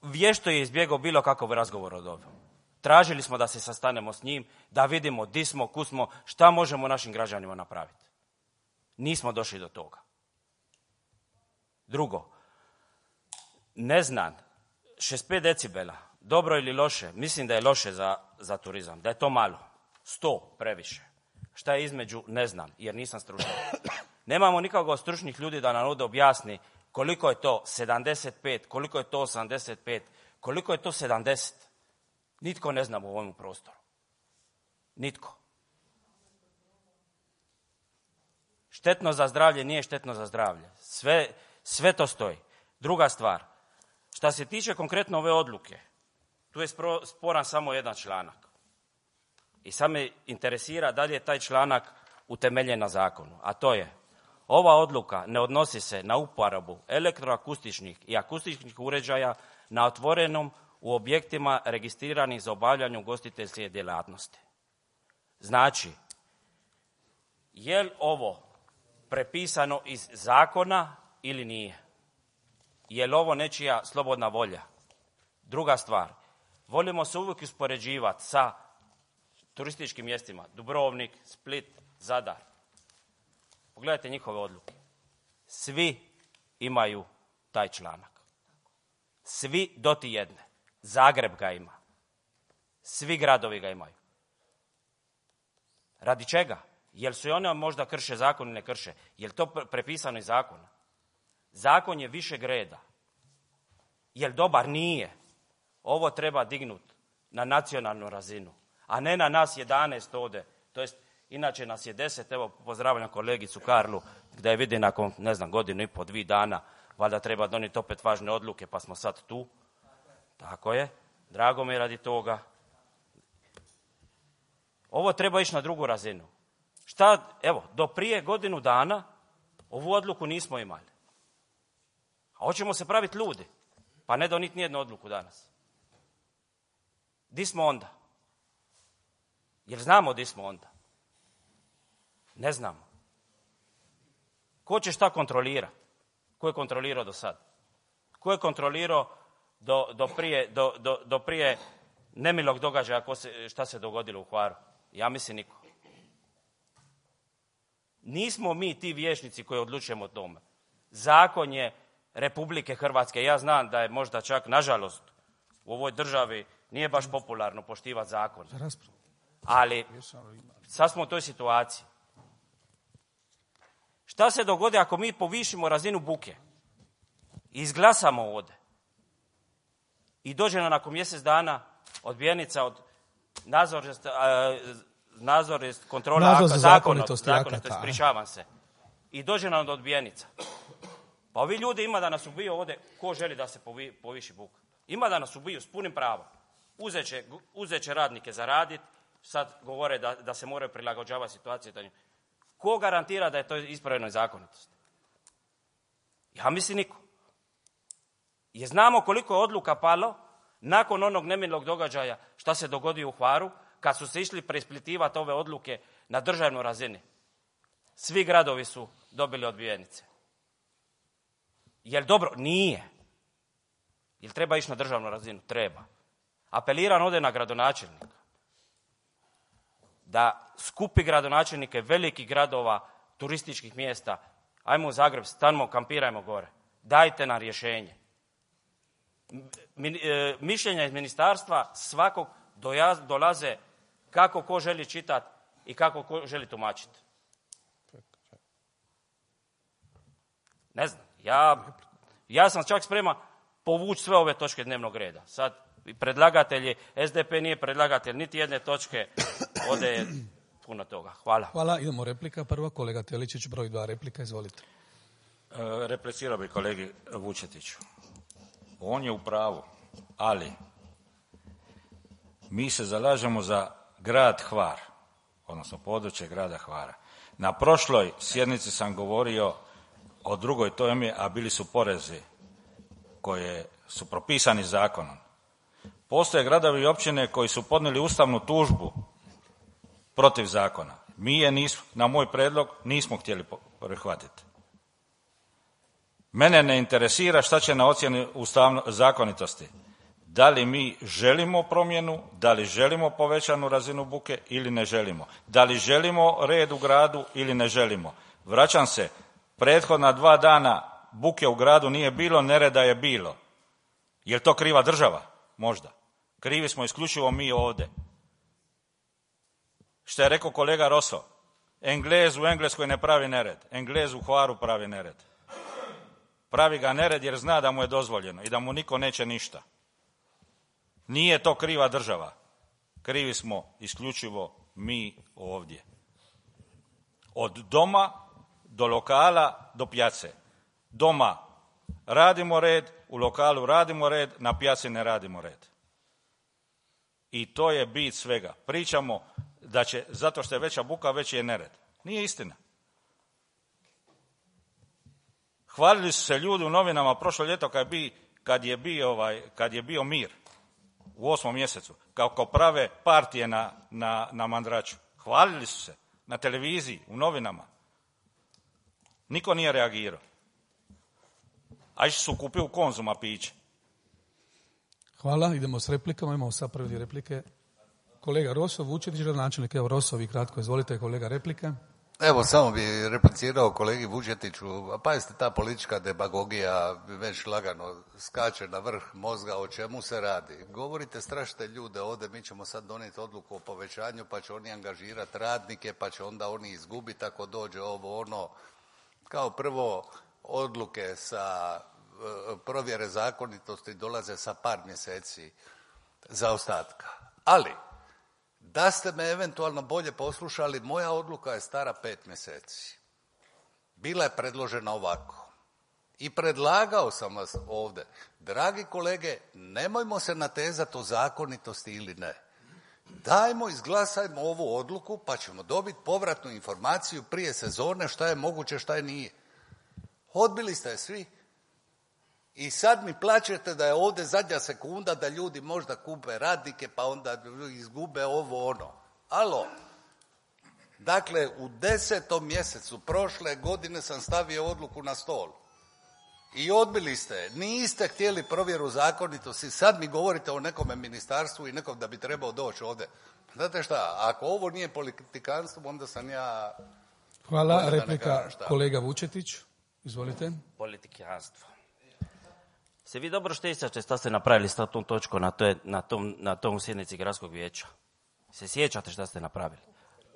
vješto je izbjegao bilo kakav razgovor od ovog. Tražili smo da se sastanemo s njim, da vidimo di smo, kud smo, šta možemo našim građanima napraviti. Nismo došli do toga. Drugo, ne znam, 65 decibela, dobro ili loše, mislim da je loše za turizam, da je to malo. 100 previše. Šta je između, ne znam, jer nisam stručnjak. Nemamo nikako stručnih ljudi da nam ovdje objasni koliko je to 75, koliko je to 85, koliko je to 70. Nitko ne zna u ovom prostoru. Nitko. Štetno za zdravlje nije štetno za zdravlje. Sve to stoji. Druga stvar, šta se tiče konkretno ove odluke, tu je sporan samo jedan članak. I sad me interesira da li je taj članak utemeljen na zakonu. A to je, ova odluka ne odnosi se na uporabu elektroakustičnih i akustičnih uređaja na otvorenom u objektima registriranih za obavljanje ugostiteljske djelatnosti. Znači, je li ovo prepisano iz zakona ili nije? Je li ovo nečija slobodna volja? Druga stvar, volimo se uvijek uspoređivati sa turističkim mjestima. Dubrovnik, Split, Zadar. Pogledajte njihove odluke. Svi imaju taj članak. Svi do ti jedne. Zagreb ga ima. Svi gradovi ga imaju. Radi čega? Jel su i one možda krše zakon ili ne krše? Jel to prepisano iz zakona? Zakon je višeg reda. Jel dobar? Nije. Ovo treba dignuti na nacionalnu razinu, a ne na nas 11 ovdje. To jest, inače nas je 10, evo pozdravljam kolegicu Karlu, gdje je vidi nakon, ne znam, 1.5, 2 dana, valjda treba donijeti opet važne odluke, pa smo sad tu. Tako je. Drago mi je radi toga. Ovo treba ići na drugu razinu. Evo, do prije 1 dana ovu odluku nismo imali. A hoćemo se praviti ljudi, pa ne doniti nijednu odluku danas. Di smo onda? Jer znamo di smo onda? Ne znamo. Ko će šta kontrolirati? Ko je kontrolirao do sad? Ko je kontrolirao do prije nemilog događaja šta se dogodilo u Hvaru? Ja mislim niko. Nismo mi ti vijećnici koji odlučujemo o tome. Zakon je Republike Hrvatske. Ja znam da je možda čak, nažalost, u ovoj državi nije baš popularno poštivati zakon. Ali sad smo u toj situaciji. Šta se dogodi ako mi povišimo razinu buke i izglasamo ovdje i dođe nam nakon mjesec dana odbijenica od nadzornost kontrola zakonitosti, ispričavam se, i dođe nam od odbijenica. Pa ovi ljudi ima da nas ubiju ovdje, ko želi da se poviši buka? Ima da nas ubiju s punim pravom. Uzet će radnike zaraditi, sad govore da se moraju prilagođavati situaciji. Ko garantira da je to ispravljeno zakonitosti? Ja mislim niko. Jer znamo koliko je odluka palo nakon onog nemilog događaja šta se dogodio u Hvaru, kad su se išli preispitivati ove odluke na državnoj razini. Svi gradovi su dobili odbijenice. Jel dobro? Nije. Jel treba ići na državnu razinu? Treba. Apeliram ovdje na gradonačelnika da skupi gradonačelnike velikih gradova, turističkih mjesta, ajmo u Zagreb, stanimo, kampirajmo gore. Dajte nam rješenje. Mišljenja iz ministarstva svakog dolaze kako ko želi čitati i kako ko želi tumačiti. Ne znam, ja sam čak spreman povući sve ove točke dnevnog reda. Sad, predlagatelji, SDP nije predlagatelj niti jedne točke, ovdje je puno toga. Hvala.
Hvala, idemo replika. Prva, kolega Teličić, broj 2 replika, izvolite.
Replicirao bi kolegi Vučetiću. On je u pravu, ali mi se zalažemo za grad Hvar, odnosno područje grada Hvara. Na prošloj sjednici sam govorio o drugoj temi, a bili su porezi koje su propisani zakonom. Postoje gradovi i općine koji su podnijeli ustavnu tužbu protiv zakona. Mi je na moj prijedlog nismo htjeli prihvatiti. Mene ne interesira šta će na ocjeni zakonitosti. Da li mi želimo promjenu, da li želimo povećanu razinu buke ili ne želimo. Da li želimo red u gradu ili ne želimo. Vraćam se, prethodna 2 dana buke u gradu nije bilo, nereda je bilo. Je li to kriva država? Možda. Krivi smo isključivo mi ovdje. Što je rekao kolega Roso, Englez u Engleskoj ne pravi nered, Englez u Hvaru pravi nered. Pravi ga nered jer zna da mu je dozvoljeno i da mu niko neće ništa. Nije to kriva država. Krivi smo isključivo mi ovdje. Od doma do lokala do pjace. Doma radimo red, u lokalu radimo red, na pjaci ne radimo red. I to je bit svega. Pričamo da će, zato što je veća buka, veći je nered. Nije istina. Hvalili su se ljudi u novinama prošlo ljeto kad je bio mir u 8. mjesecu, kako prave partije na Mandraču. Hvalili su se na televiziji, u novinama. Niko nije reagirao. A išli su kupiti u Konzuma piće.
Hvala, idemo s replikama, imamo sad prvi replike. Kolega Roso, Vučetić, gradonačelnik, evo Roso, vi kratko, izvolite kolega replike.
Evo, samo bi replicirao kolegi Vučetiću, a pazite, ta politička demagogija već lagano skače na vrh mozga, o čemu se radi. Govorite, strašite ljude ovdje, mi ćemo sad donijeti odluku o povećanju, pa će oni angažirati radnike, pa će onda oni izgubiti ako dođe ovo ono. Kao prvo, odluke sa provjere zakonitosti dolaze sa par mjeseci zaostatka. Ali, da ste me eventualno bolje poslušali, moja odluka je stara 5 mjeseci. Bila je predložena ovako. I predlagao sam vas ovdje. Dragi kolege, nemojmo se natezati o zakonitosti ili ne. Dajmo, izglasajmo ovu odluku, pa ćemo dobiti povratnu informaciju prije sezone šta je moguće, šta je nije. Odbili ste je svi. I sad mi plačete da je ovdje zadnja sekunda, da ljudi možda kupe radnike, pa onda izgube ovo ono. Alo, dakle, u 10. mjesecu prošle godine sam stavio odluku na stol. I odbili ste. Niste htjeli provjeru zakonitosti. Sad mi govorite o nekome ministarstvu i nekom da bi trebao doći ovdje. Znate šta, ako ovo nije politikanstvo, onda sam ja...
Hvala, replika kolega Vučetić. Izvolite.
Politikanstvo. Se vi dobro sjećate šta ste napravili s tom točkom na tom sjednici gradskog vijeća? Se sjećate šta ste napravili?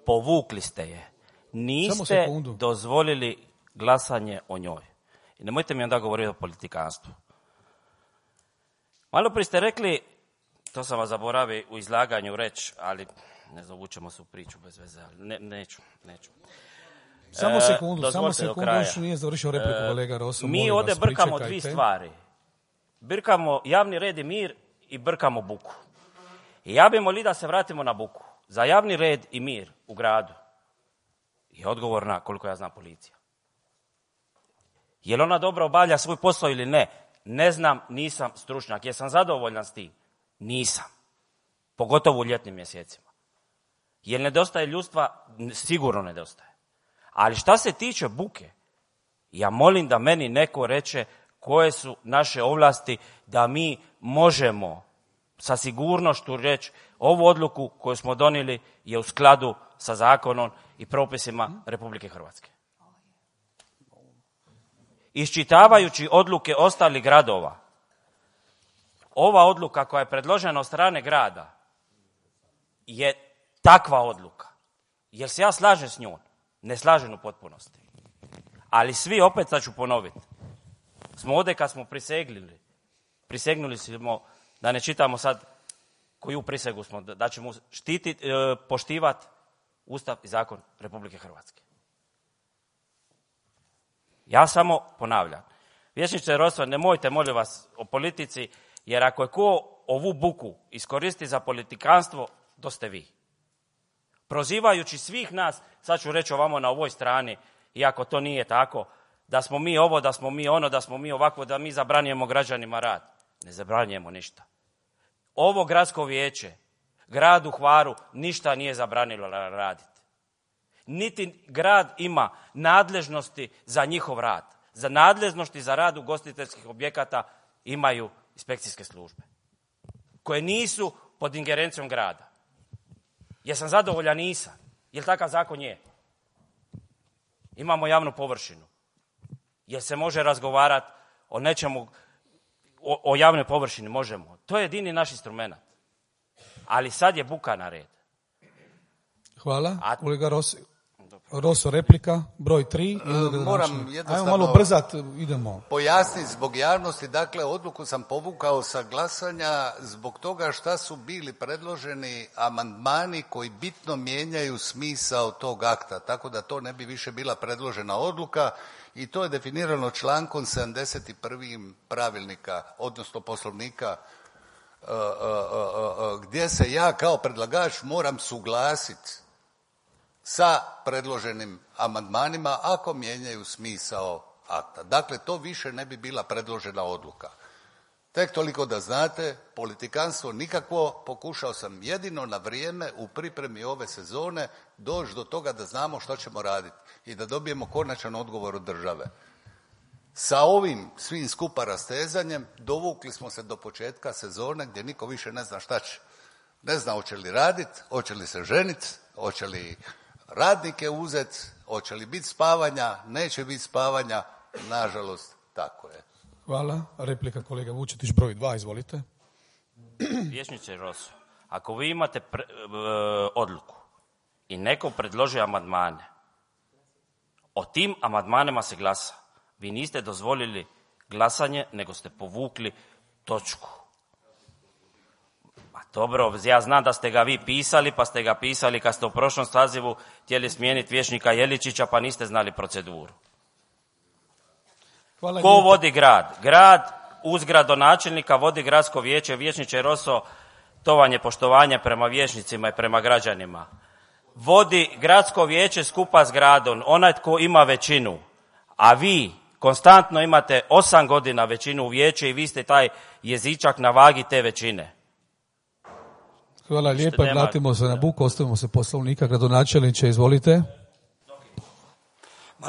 Povukli ste je. Niste dozvolili glasanje o njoj. I nemojte mi onda govoriti o politikanstvu. Malo prije ste rekli, to sam vas zaboravio u izlaganju reći, ali ne znam, vučemo se u priču bez veze, ali neću.
Samo sekundu, još nije završio repliku kolega Roso.
Mi ovdje brkamo dvije stvari. Brkamo javni red i mir i brkamo buku. I ja bi molio da se vratimo na buku. Za javni red i mir u gradu je odgovorna, koliko ja znam, policija. Je li ona dobro obavlja svoj posao ili ne? Ne znam, nisam stručnjak. Jesam zadovoljan s tim? Nisam. Pogotovo u ljetnim mjesecima. Jer nedostaje ljudstva? Sigurno nedostaje. Ali šta se tiče buke, ja molim da meni neko reče koje su naše ovlasti da mi možemo sa sigurnošću reći ovu odluku koju smo donijeli je u skladu sa zakonom i propisima Republike Hrvatske. Iščitavajući odluke ostalih gradova, ova odluka koja je predložena od strane grada je takva odluka. Jer se ja slažem s njom, ne slažem u potpunosti. Ali svi, opet sad ću ponoviti, smo ovdje kad smo prisegnuli smo, da ne čitamo sad koju prisegu smo, da ćemo poštivati Ustav i zakon Republike Hrvatske. Ja samo ponavljam. Vijećniče Roso, nemojte, molim vas, o politici, jer ako je ko ovu buku iskoristi za politikanstvo, to ste vi. Prozivajući svih nas, sad ću reći ovamo na ovoj strani, iako to nije tako, da smo mi ovo, da smo mi ono, da smo mi ovako, da mi zabranjujemo građanima rad. Ne zabranjujemo ništa. Ovo gradsko vijeće, gradu Hvaru, ništa nije zabranilo raditi. Niti grad ima nadležnosti za njihov rad. Za nadležnosti za rad ugostiteljskih objekata imaju inspekcijske službe, koje nisu pod ingerencijom grada. Jesam zadovoljan? Nisam. Jer takav zakon je. Imamo javnu površinu. Jer se može razgovarati o nečemu, o javnoj površini možemo. To je jedini naš instrument. Ali sad je buka na red.
Hvala. Kolega Roso, replika, broj 3.
Moram jednostavno
Ajmo malo brzat, idemo.
Pojasniti zbog javnosti, dakle odluku sam povukao sa glasanja zbog toga šta su bili predloženi amandmani koji bitno mijenjaju smisao tog akta, tako da to ne bi više bila predložena odluka i to je definirano člankom 71. pravilnika, odnosno poslovnika, gdje se ja kao predlagač moram suglasiti sa predloženim amandmanima ako mijenjaju smisao akta. Dakle, to više ne bi bila predložena odluka. Tek toliko da znate, politikanstvo nikakvo, pokušao sam jedino na vrijeme u pripremi ove sezone doći do toga da znamo što ćemo raditi i da dobijemo konačan odgovor od države. Sa ovim svim skupa rastezanjem dovukli smo se do početka sezone gdje niko više ne zna šta će. Ne zna hoće li raditi, hoće li se ženiti, hoće li radnike uzeti, hoće li biti spavanja, neće biti spavanja, nažalost tako je.
Hvala. Replika kolega Vučetić, broj 2, izvolite.
Vijećniče Roso, ako vi imate odluku i neko predloži amandmane, o tim amandmanima se glasa. Vi niste dozvolili glasanje, nego ste povukli točku. Ma dobro, ja znam da ste ga vi pisali, pa ste ga pisali kad ste u prošlom sazivu htjeli smijeniti vijećnika Jeličića, pa niste znali proceduru.
Hvala.
Ko vodi grad? Grad uz gradonačelnika vodi gradsko vijeće. Vijećniče Roso, to vam je poštovanje prema vijećnicima i prema građanima. Vodi gradsko vijeće skupa s gradom, onaj tko ima većinu, a vi konstantno imate 8 godina većinu u vijeće i vi ste taj jezičak na vagi te većine.
Hvala lijepa, vratimo se na buku, ostavimo se poslovnika. Gradonačelniče, izvolite.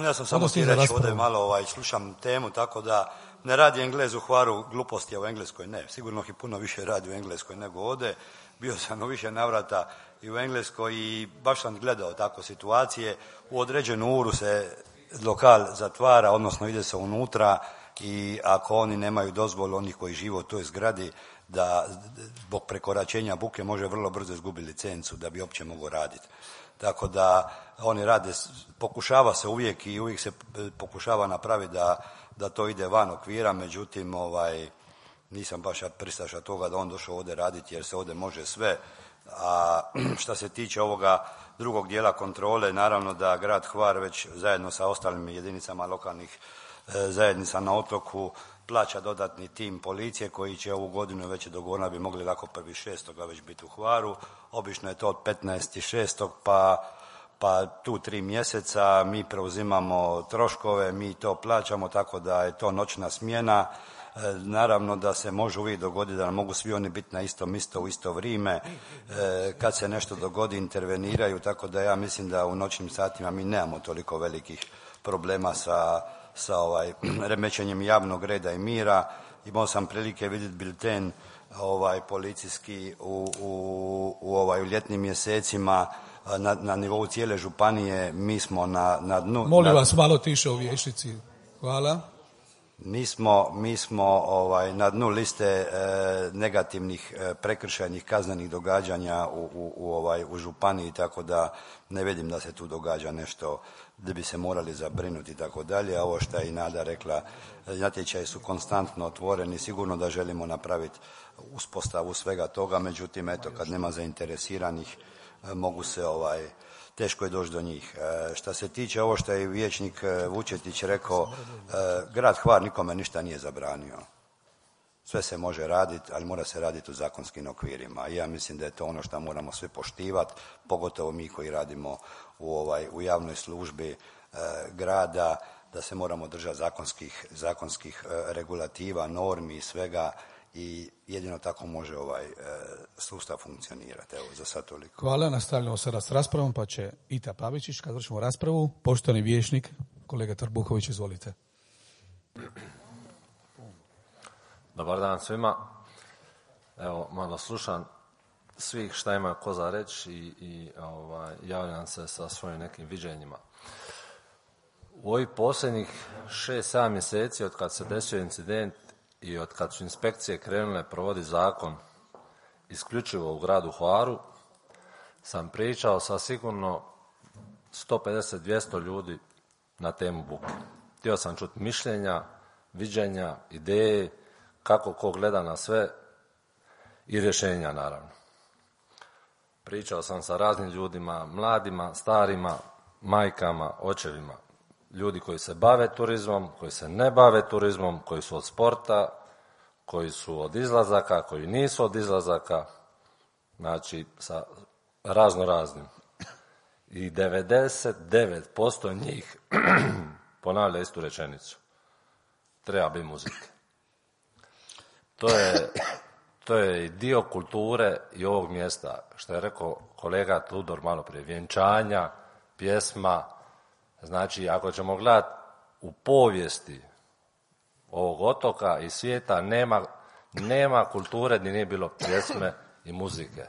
Ja sam samo htio reći ovdje malo, slušam temu, tako da ne radi Englez u Hvaru gluposti, a u Engleskoj ne. Sigurno ih puno više radi u Engleskoj nego ovdje. Bio sam u više navrata i u Engleskoj i baš sam gledao tako situacije. U određenu uru se lokal zatvara, odnosno ide se unutra i ako oni nemaju dozvolu, onih koji žive u toj zgradi, da zbog prekoračenja buke može vrlo brzo izgubiti licencu da bi uopće mogao raditi. Tako da oni rade, pokušava se uvijek i uvijek se pokušava napraviti da to ide van okvira, međutim nisam baš pristaša toga da on došao ovdje raditi jer se ovdje može sve. A što se tiče ovoga drugog dijela kontrole, naravno da grad Hvar već zajedno sa ostalim jedinicama lokalnih zajednica na otoku plaća dodatni tim policije koji će ovu godinu već dogovorno bi mogli lako 1.6. već biti u Hvaru. Obično je to od 15.6. pa tu 3 mjeseca mi preuzimamo troškove, mi to plaćamo, tako da je to noćna smjena. Naravno da se može uvijek dogoditi da mogu svi oni biti na istom mjestu u isto vrijeme. Kad se nešto dogodi interveniraju, tako da ja mislim da u noćnim satima mi nemamo toliko velikih problema sa remećenjem javnog reda i mira. Imao sam prilike vidjeti bilten policijski u ljetnim mjesecima na nivou cijele županije. Mi smo na dnu.
Molim vas malo tiše u vijećnici. Hvala.
Mi smo na dnu liste negativnih prekršajnih kaznenih događanja u županiji, tako da ne vidim da se tu događa nešto da bi se morali zabrinuti i tako dalje. A ovo što je i Nada rekla, natječaji su konstantno otvoreni, sigurno da želimo napraviti uspostavu svega toga, međutim eto kad nema zainteresiranih mogu se teško je doći do njih. Što se tiče ovo što je vijećnik Vučetić rekao, grad Hvar nikome ništa nije zabranio. Sve se može raditi, ali mora se raditi u zakonskim okvirima. I ja mislim da je to ono što moramo svi poštivati, pogotovo mi koji radimo u javnoj službi grada, da se moramo držati zakonskih regulativa, normi i svega. I jedino tako može sustav funkcionirati. Evo, za sad toliko.
Hvala, nastavljamo sada s raspravom, pa će Ita Pavičić, kad vršimo raspravu, poštovani vijećnik, kolega Trbuhović, izvolite.
Dobar dan svima. Evo, malo slušam svih šta ima ko za reći i javljam se sa svojim nekim viđenjima. U ovih posljednjih 6-7 mjeseci od kad se desio incident i od kad su inspekcije krenule provoditi zakon isključivo u gradu Hvaru, sam pričao sa sigurno 150-200 ljudi na temu buke. Htio sam čuti mišljenja, viđenja, ideje, kako ko gleda na sve i rješenja, naravno. Pričao sam sa raznim ljudima, mladima, starima, majkama, očevima, ljudi koji se bave turizmom, koji se ne bave turizmom, koji su od sporta, koji su od izlazaka, koji nisu od izlazaka, znači sa raznim. I 99% njih ponavlja istu rečenicu. Treba biti muzike. To je i dio kulture i ovog mjesta, što je rekao kolega Tudor malo prije, vjenčanja, pjesma. Znači, ako ćemo gledati u povijesti ovog otoka i svijeta, nema kulture gdje nije bilo pjesme i muzike.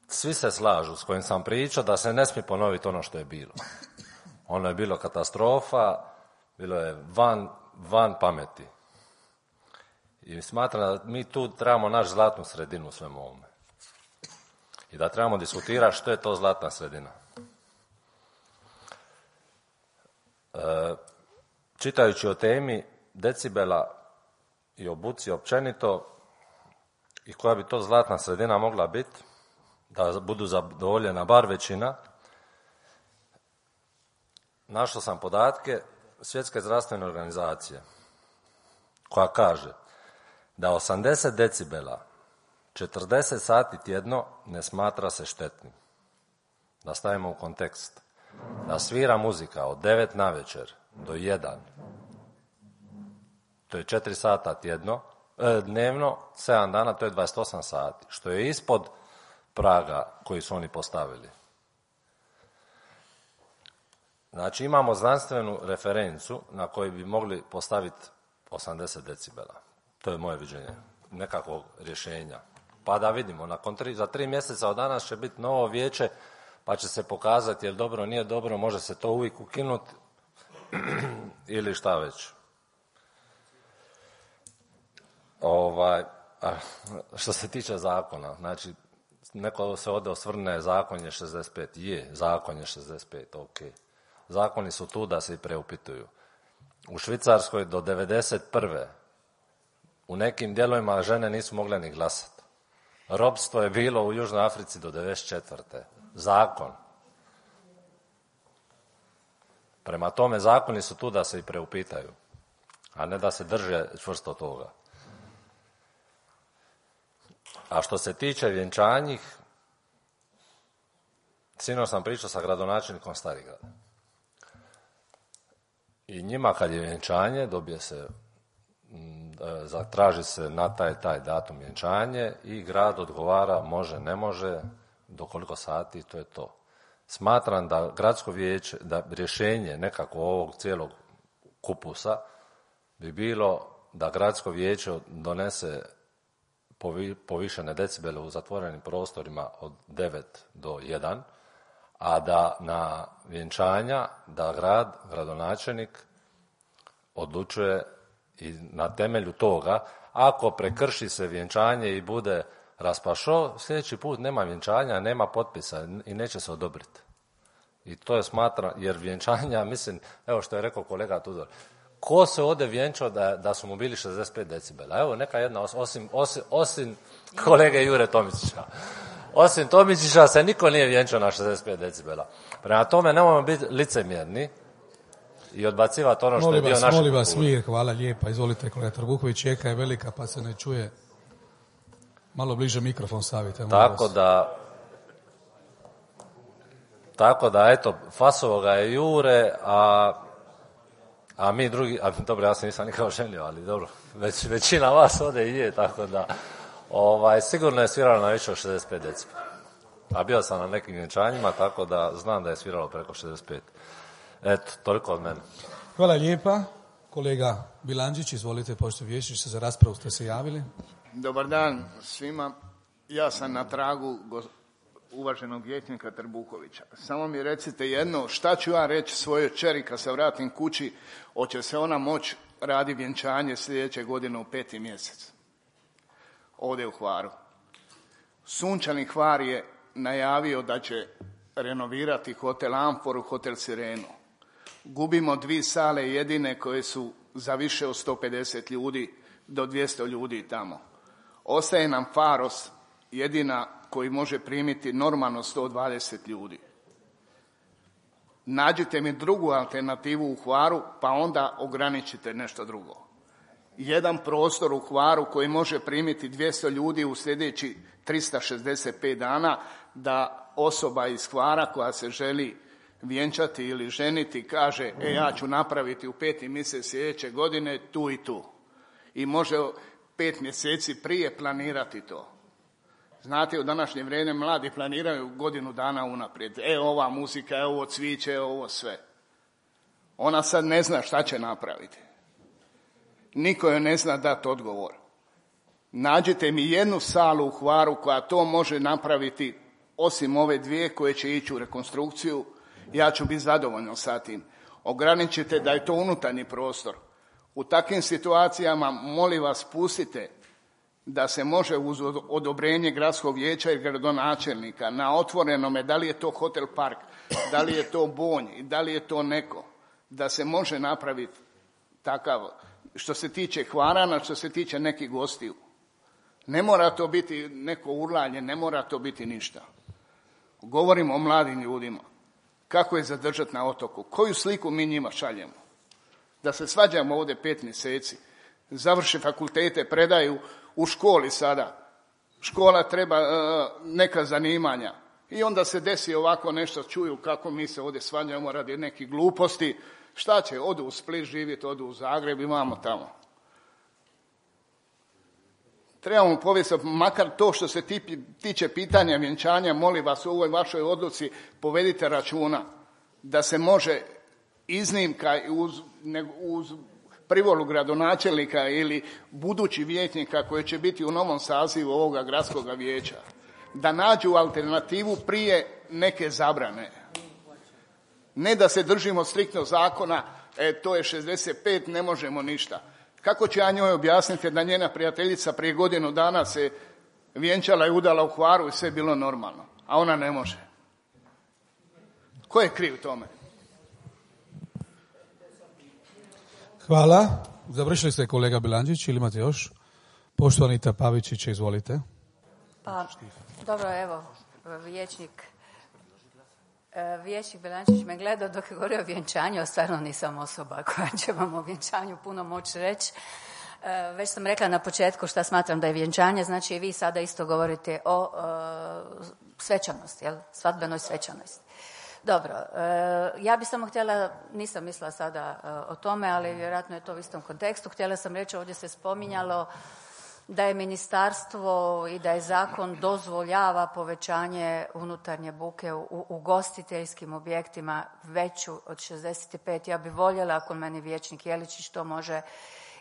Svi se slažu s kojim sam pričao da se ne smije ponoviti ono što je bilo. Ono je bilo katastrofa, bilo je van pameti. I smatram da mi tu trebamo naći zlatnu sredinu u svemu ovome. I da trebamo diskutirati što je to zlatna sredina. Čitajući o temi decibela i o buci općenito i koja bi to zlatna sredina mogla biti, da budu zadovoljena bar većina, našao sam podatke Svjetske zdravstvene organizacije koja kaže da 80 decibela 40 sati tjedno ne smatra se štetnim. Da stavimo u kontekst. Da svira muzika od 9 navečer do 1, to je 4 sata dnevno, 7 dana, to je 28 sati, što je ispod praga koji su oni postavili. Znači imamo znanstvenu referencu na kojoj bi mogli postaviti 80 decibela. To je moje viđenje nekakvog rješenja. Pa da vidimo, za 3 mjeseca od danas će biti novo vijeće, pa će se pokazati je li dobro, nije dobro, može se to uvijek ukinuti ili šta već. Što se tiče zakona, znači neko se ovdje osvrne, zakon je 65, zakon je 65, ok. Zakoni su tu da se i preupituju. U Švicarskoj do 91. u nekim dijelovima žene nisu mogle ni glasati. Ropstvo je bilo u Južnoj Africi do 94. Zakon. Prema tome, zakoni su tu da se i preupitaju, a ne da se drže čvrsto toga. A što se tiče vjenčanjih, sinoć sam pričao sa gradonačelnikom Starigrada. I njima kad je vjenčanje, dobije se, zatraži se na taj datum vjenčanje i grad odgovara može, ne može, do koliko sati, to je to. Smatram da gradsko vijeće, da rješenje nekako ovog cijelog kupusa bi bilo da gradsko vijeće donese povišene decibele u zatvorenim prostorima od 9 do 1, a da na vjenčanja, da gradonačelnik odlučuje i na temelju toga, ako prekrši se vjenčanje i bude raspašo, sljedeći put nema vjenčanja, nema potpisa i neće se odobriti. I to je smatram, jer vjenčanja, mislim, evo što je rekao kolega Tudor, ko se ovdje vjenčao da su mu bili 65 decibela? Evo, neka jedna, osim kolege Jure Tomičića. Osim Tomičića se niko nije vjenčao na 65 decibela. Prema tome, nemojmo biti licemjerni i odbacivati ono što je dio naše kulture.
Molim vas, mir, hvala lijepa. Izvolite, kolega Trbuković, jeka je velika pa se ne čuje. Malo bliže mikrofon stavite.
Tako da, eto, fasovo ga je Jure, a mi drugi, dobro, ja se nisam nikao ženio, ali dobro, većina vas ovdje i je, tako da, sigurno je sviralo na više od 65 decibela. A bio sam na nekim vjenčanjima, tako da znam da je sviralo preko 65. Eto, toliko od mene.
Hvala lijepa. Kolega Bilandžić, izvolite, pošto vijećniče, za raspravu ste se javili.
Dobar dan svima. Ja sam na tragu uvaženog vijećnika Trbukovića. Samo mi recite jedno, šta ću ja reći svojoj kćeri kad se vratim kući, hoće se ona moći radi vjenčanje sljedeće godine u 5. mjesec? ovdje u Hvaru. Sunčani Hvar je najavio da će renovirati hotel Amforu, hotel Sirenu. Gubimo 2 sale jedine koje su za više od 150 ljudi do 200 ljudi tamo. Ostaje nam Faros, jedina koji može primiti normalno 120 ljudi. Nađite mi drugu alternativu u Hvaru, pa onda ograničite nešto drugo. Jedan prostor u Hvaru koji može primiti 200 ljudi u sljedeći 365 dana, da osoba iz Hvara koja se želi vjenčati ili ženiti kaže ja ću napraviti u 5. mjesec sljedeće godine tu i tu. I može 5 mjeseci prije planirati to. Znate, u današnje vrijeme mladi planiraju godinu dana unaprijed. Ova muzika, ovo cviće, ovo sve. Ona sad ne zna šta će napraviti. Niko joj ne zna dati odgovor. Nađite mi jednu salu u Hvaru koja to može napraviti, osim ove 2 koje će ići u rekonstrukciju, ja ću biti zadovoljan sa tim. Ograničite da je to unutarnji prostor. U takvim situacijama, molim vas, pustite da se može uz odobrenje gradskog vijeća i gradonačelnika na otvorenome, da li je to hotel Park, da li je to Bonj, da li je to neko, da se može napraviti takav, što se tiče Hvarana, što se tiče nekih gostiju. Ne mora to biti neko urlanje, ne mora to biti ništa. Govorimo o mladim ljudima. Kako je zadržati na otoku? Koju sliku mi njima šaljemo? Da se svađamo ovdje 5 mjeseci, završe fakultete, predaju u školi sada. Škola treba neka zanimanja. I onda se desi ovako nešto, čuju kako mi se ovdje svađamo radi nekih gluposti. Šta će? Odu u Split živjeti, odu u Zagreb, imamo tamo. Trebamo povesti, makar to što se tiče pitanja vjenčanja, molim vas u ovoj vašoj odluci povedite računa da se može iznimka uz privolu gradonačelnika ili budući vijećnika koji će biti u novom sazivu ovoga gradskog vijeća, da nađu alternativu prije neke zabrane. Ne da se držimo striktno zakona, to je 65, ne možemo ništa. Kako će ja njoj objasniti da njena prijateljica prije godinu dana se vjenčala i udala u Hvaru i sve bilo normalno, a ona ne može? Ko je kriv tome?
Hvala. Završili ste, kolega Bilandžić, ili imate još? Poštovani Pavičić, izvolite.
Pa, dobro, evo, vijećnik Bilandžić me gledao dok je govorio o vjenčanju, a stvarno nisam osoba koja će vam o vjenčanju puno moći reći. Već sam rekla na početku šta smatram da je vjenčanje, znači i vi sada isto govorite o svečanosti, svadbenoj svečanosti. Dobro, ja bih samo htjela, nisam mislila sada o tome, ali vjerojatno je to u istom kontekstu. Htjela sam reći, ovdje se spominjalo da je ministarstvo i da je zakon dozvoljava povećanje unutarnje buke u ugostiteljskim objektima veću od 65. Ja bih voljela, ako meni vijećnik Jeličić to može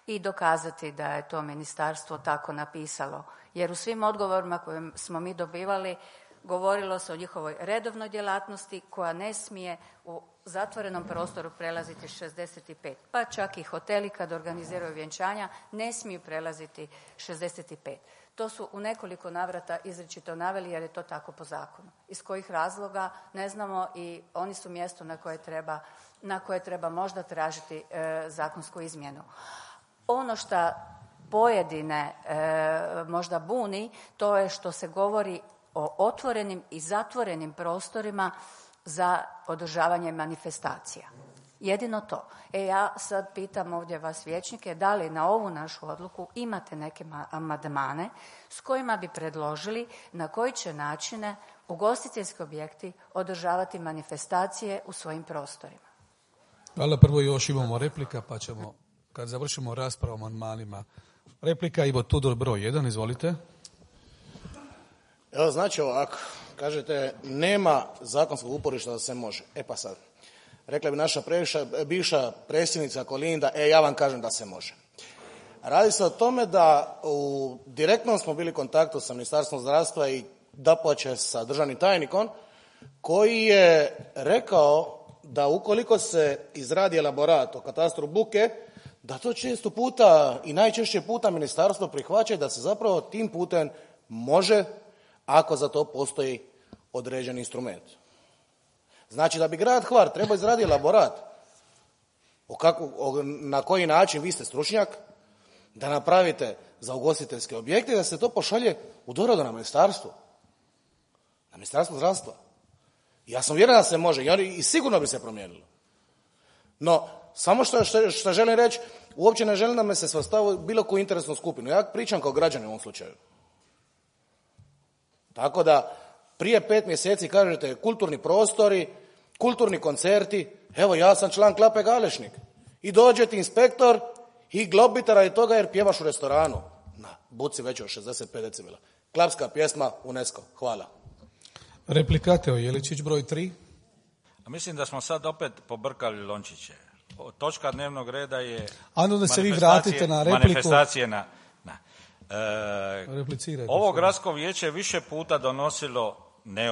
i dokazati da je to ministarstvo tako napisalo. Jer u svim odgovorima koje smo mi dobivali govorilo se o njihovoj redovnoj djelatnosti koja ne smije u zatvorenom prostoru prelaziti 65. Pa čak i hoteli kad organiziraju vjenčanja ne smiju prelaziti 65. To su u nekoliko navrata izričito naveli jer je to tako po zakonu. Iz kojih razloga ne znamo i oni su mjesto na koje treba možda tražiti zakonsku izmjenu. Ono što pojedine možda buni, to je što se govori o otvorenim i zatvorenim prostorima za održavanje manifestacija. Jedino to. Ja sad pitam ovdje vas vijećnike, da li na ovu našu odluku imate neke amandmane s kojima bi predložili na koji će načine ugostiteljski objekti održavati manifestacije u svojim prostorima.
Hvala, prvo još imamo replika, pa ćemo, kad završimo raspravu o amandmanima. Replika Ivo Tudor, broj 1, izvolite.
Evo, znači ovako, kažete nema zakonskog uporišta da se može. Pa sad, rekla bi naša bivša predsjednica Kolinda, ja vam kažem da se može. Radi se o tome da u direktnom smo bili u kontaktu sa Ministarstvom zdravstva i dapače sa državnim tajnikom koji je rekao da ukoliko se izradi elaborat o katastru buke, da to često puta i najčešće puta ministarstvo prihvaća da se zapravo tim putem može, ako za to postoji određeni instrument. Znači da bi grad Hvar trebao izraditi elaborat na koji način, vi ste stručnjak, da napravite za ugostiteljske objekte, da se to pošalje u doradu na ministarstvo zdravstva. Ja sam uvjeren da se može i sigurno bi se promijenilo. No, samo što želim reći, uopće ne želim da me se svrstava bilo koju interesnu skupinu. Ja pričam kao građanin u ovom slučaju. Tako da, prije 5 mjeseci kažete kulturni prostori, kulturni koncerti, evo ja sam član Klape Galešnik. I dođe ti inspektor i globite radi toga jer pjevaš u restoranu. Na buci veće od 65 decibela. Klapska pjesma UNESCO. Hvala.
Replika Teo Jeličić, broj 3.
A mislim da smo sad opet pobrkali lončiće. Točka dnevnog reda je
da se vi vratite na repliku.
Manifestacije na
Replicirajte.
Ovo gradsko vijeće je više puta donosilo, ne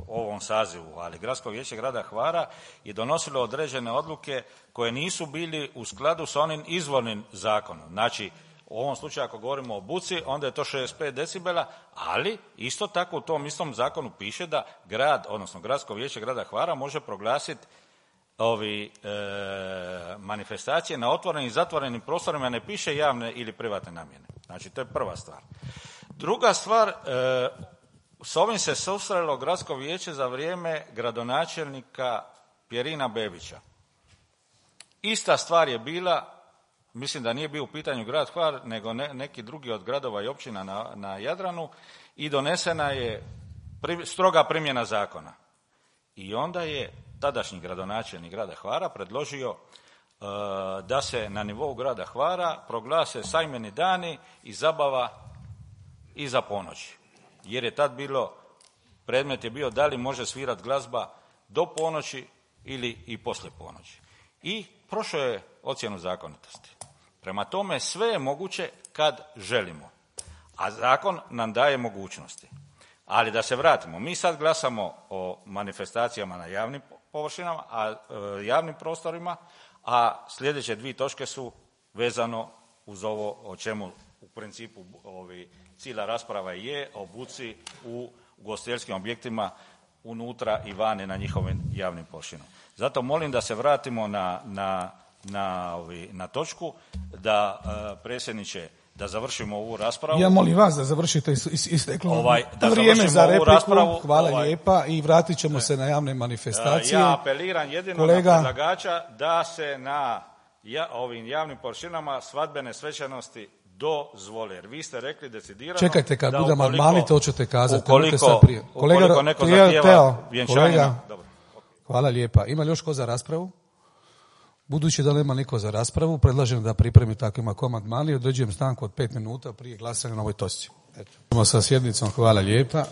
ovom sazivu, ali gradsko vijeće grada Hvara je donosilo određene odluke koje nisu bili u skladu s onim izvornim zakonom. Znači, u ovom slučaju ako govorimo o buci, onda je to 65 decibela, ali isto tako u tom istom zakonu piše da grad, odnosno gradsko vijeće grada Hvara može proglasiti manifestacije na otvorenim i zatvorenim prostorima, ne piše javne ili privatne namjene. Znači, to je prva stvar. Druga stvar, s ovim se susrelo gradsko vijeće za vrijeme gradonačelnika Pjerina Bebića. Ista stvar je bila, mislim da nije bio u pitanju grad Hvar, nego neki drugi od gradova i općina na Jadranu i donesena je stroga primjena zakona. I onda je tadašnji gradonačelnik grada Hvara predložio da se na nivou grada Hvara proglase sajmeni dani i zabava iza ponoći. Jer je tad predmet je bio da li može svirati glazba do ponoći ili i poslije ponoći. I prošao je ocjenu zakonitosti. Prema tome sve je moguće kad želimo, a zakon nam daje mogućnosti. Ali da se vratimo, mi sad glasamo o manifestacijama na javnim površinama, javnim prostorima, a sljedeće 2 točke su vezano uz ovo o čemu u principu cijela rasprava je o buci u ugostiteljskim objektima unutra i vani na njihovim javnim površinama. Zato molim da se vratimo na točku, da predsjedniče, da završimo ovu raspravu.
Ja molim vas da završite isteklo vrijeme za repliku.
Raspravu,
hvala lijepa i vratit ćemo se na javne manifestacije.
Ja apeliram jedino na predlagača da se na ovim javnim površinama svadbene svečanosti dozvole. Jer vi ste rekli decidirano...
Čekajte, kad bude amandmani, to ćete kazati.
Ukoliko neko zahtijeva vjenčanima...
Hvala lijepa. Ima li još ko za raspravu? Budući da nema niko za raspravu, predlažem da pripremi takvima amandmani i određujem stanku od 5 minuta prije glasanja na ovoj točci. Eto. Sa sjednicom, hvala lijepa.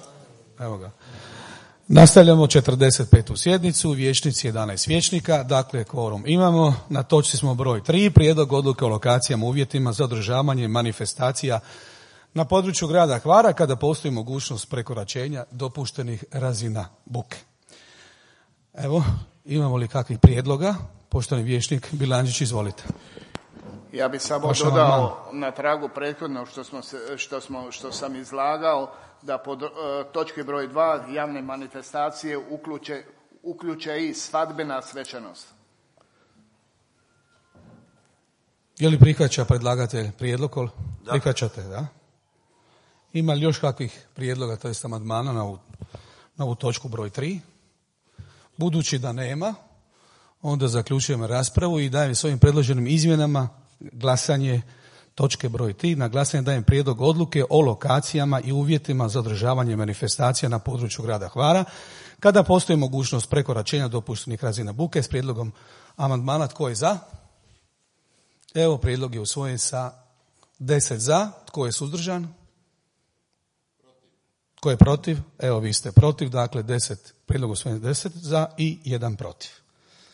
Evo ga. Nastavljamo 45. sjednicu, vijećnici 11 vijećnika, dakle kvorum imamo. Na točci smo broj 3, prijedlog odluke o lokacijama, uvjetima za održavanje manifestacija na području grada Hvara kada postoji mogućnost prekoračenja dopuštenih razina buke. Evo, imamo li kakvih prijedloga? Poštovani vijećnik Bilandžić, izvolite.
Ja bih samo dodao na tragu prethodno što sam izlagao, da pod točki broj 2 javne manifestacije uključe i svadbena svečanost.
Je li prihvaća predlagatelj prijedlog? Da. Prihvaćate, da? Ima li još kakvih prijedloga, to jest amandmana na ovu točku broj 3? Budući da nema, onda zaključujemo raspravu i dajem s ovim predloženim izmjenama glasanje točke broj 3. Na glasanje dajem prijedlog odluke o lokacijama i uvjetima za održavanje manifestacija na području grada Hvara kada postoji mogućnost prekoračenja dopuštenih razina buke s prijedlogom amandmana. Tko je za? Evo, prijedlog je usvojen sa 10 za. Tko je suzdržan? Tko je protiv? Evo, vi ste protiv, dakle 10, prijedlog usvojen 10 za i 1 protiv.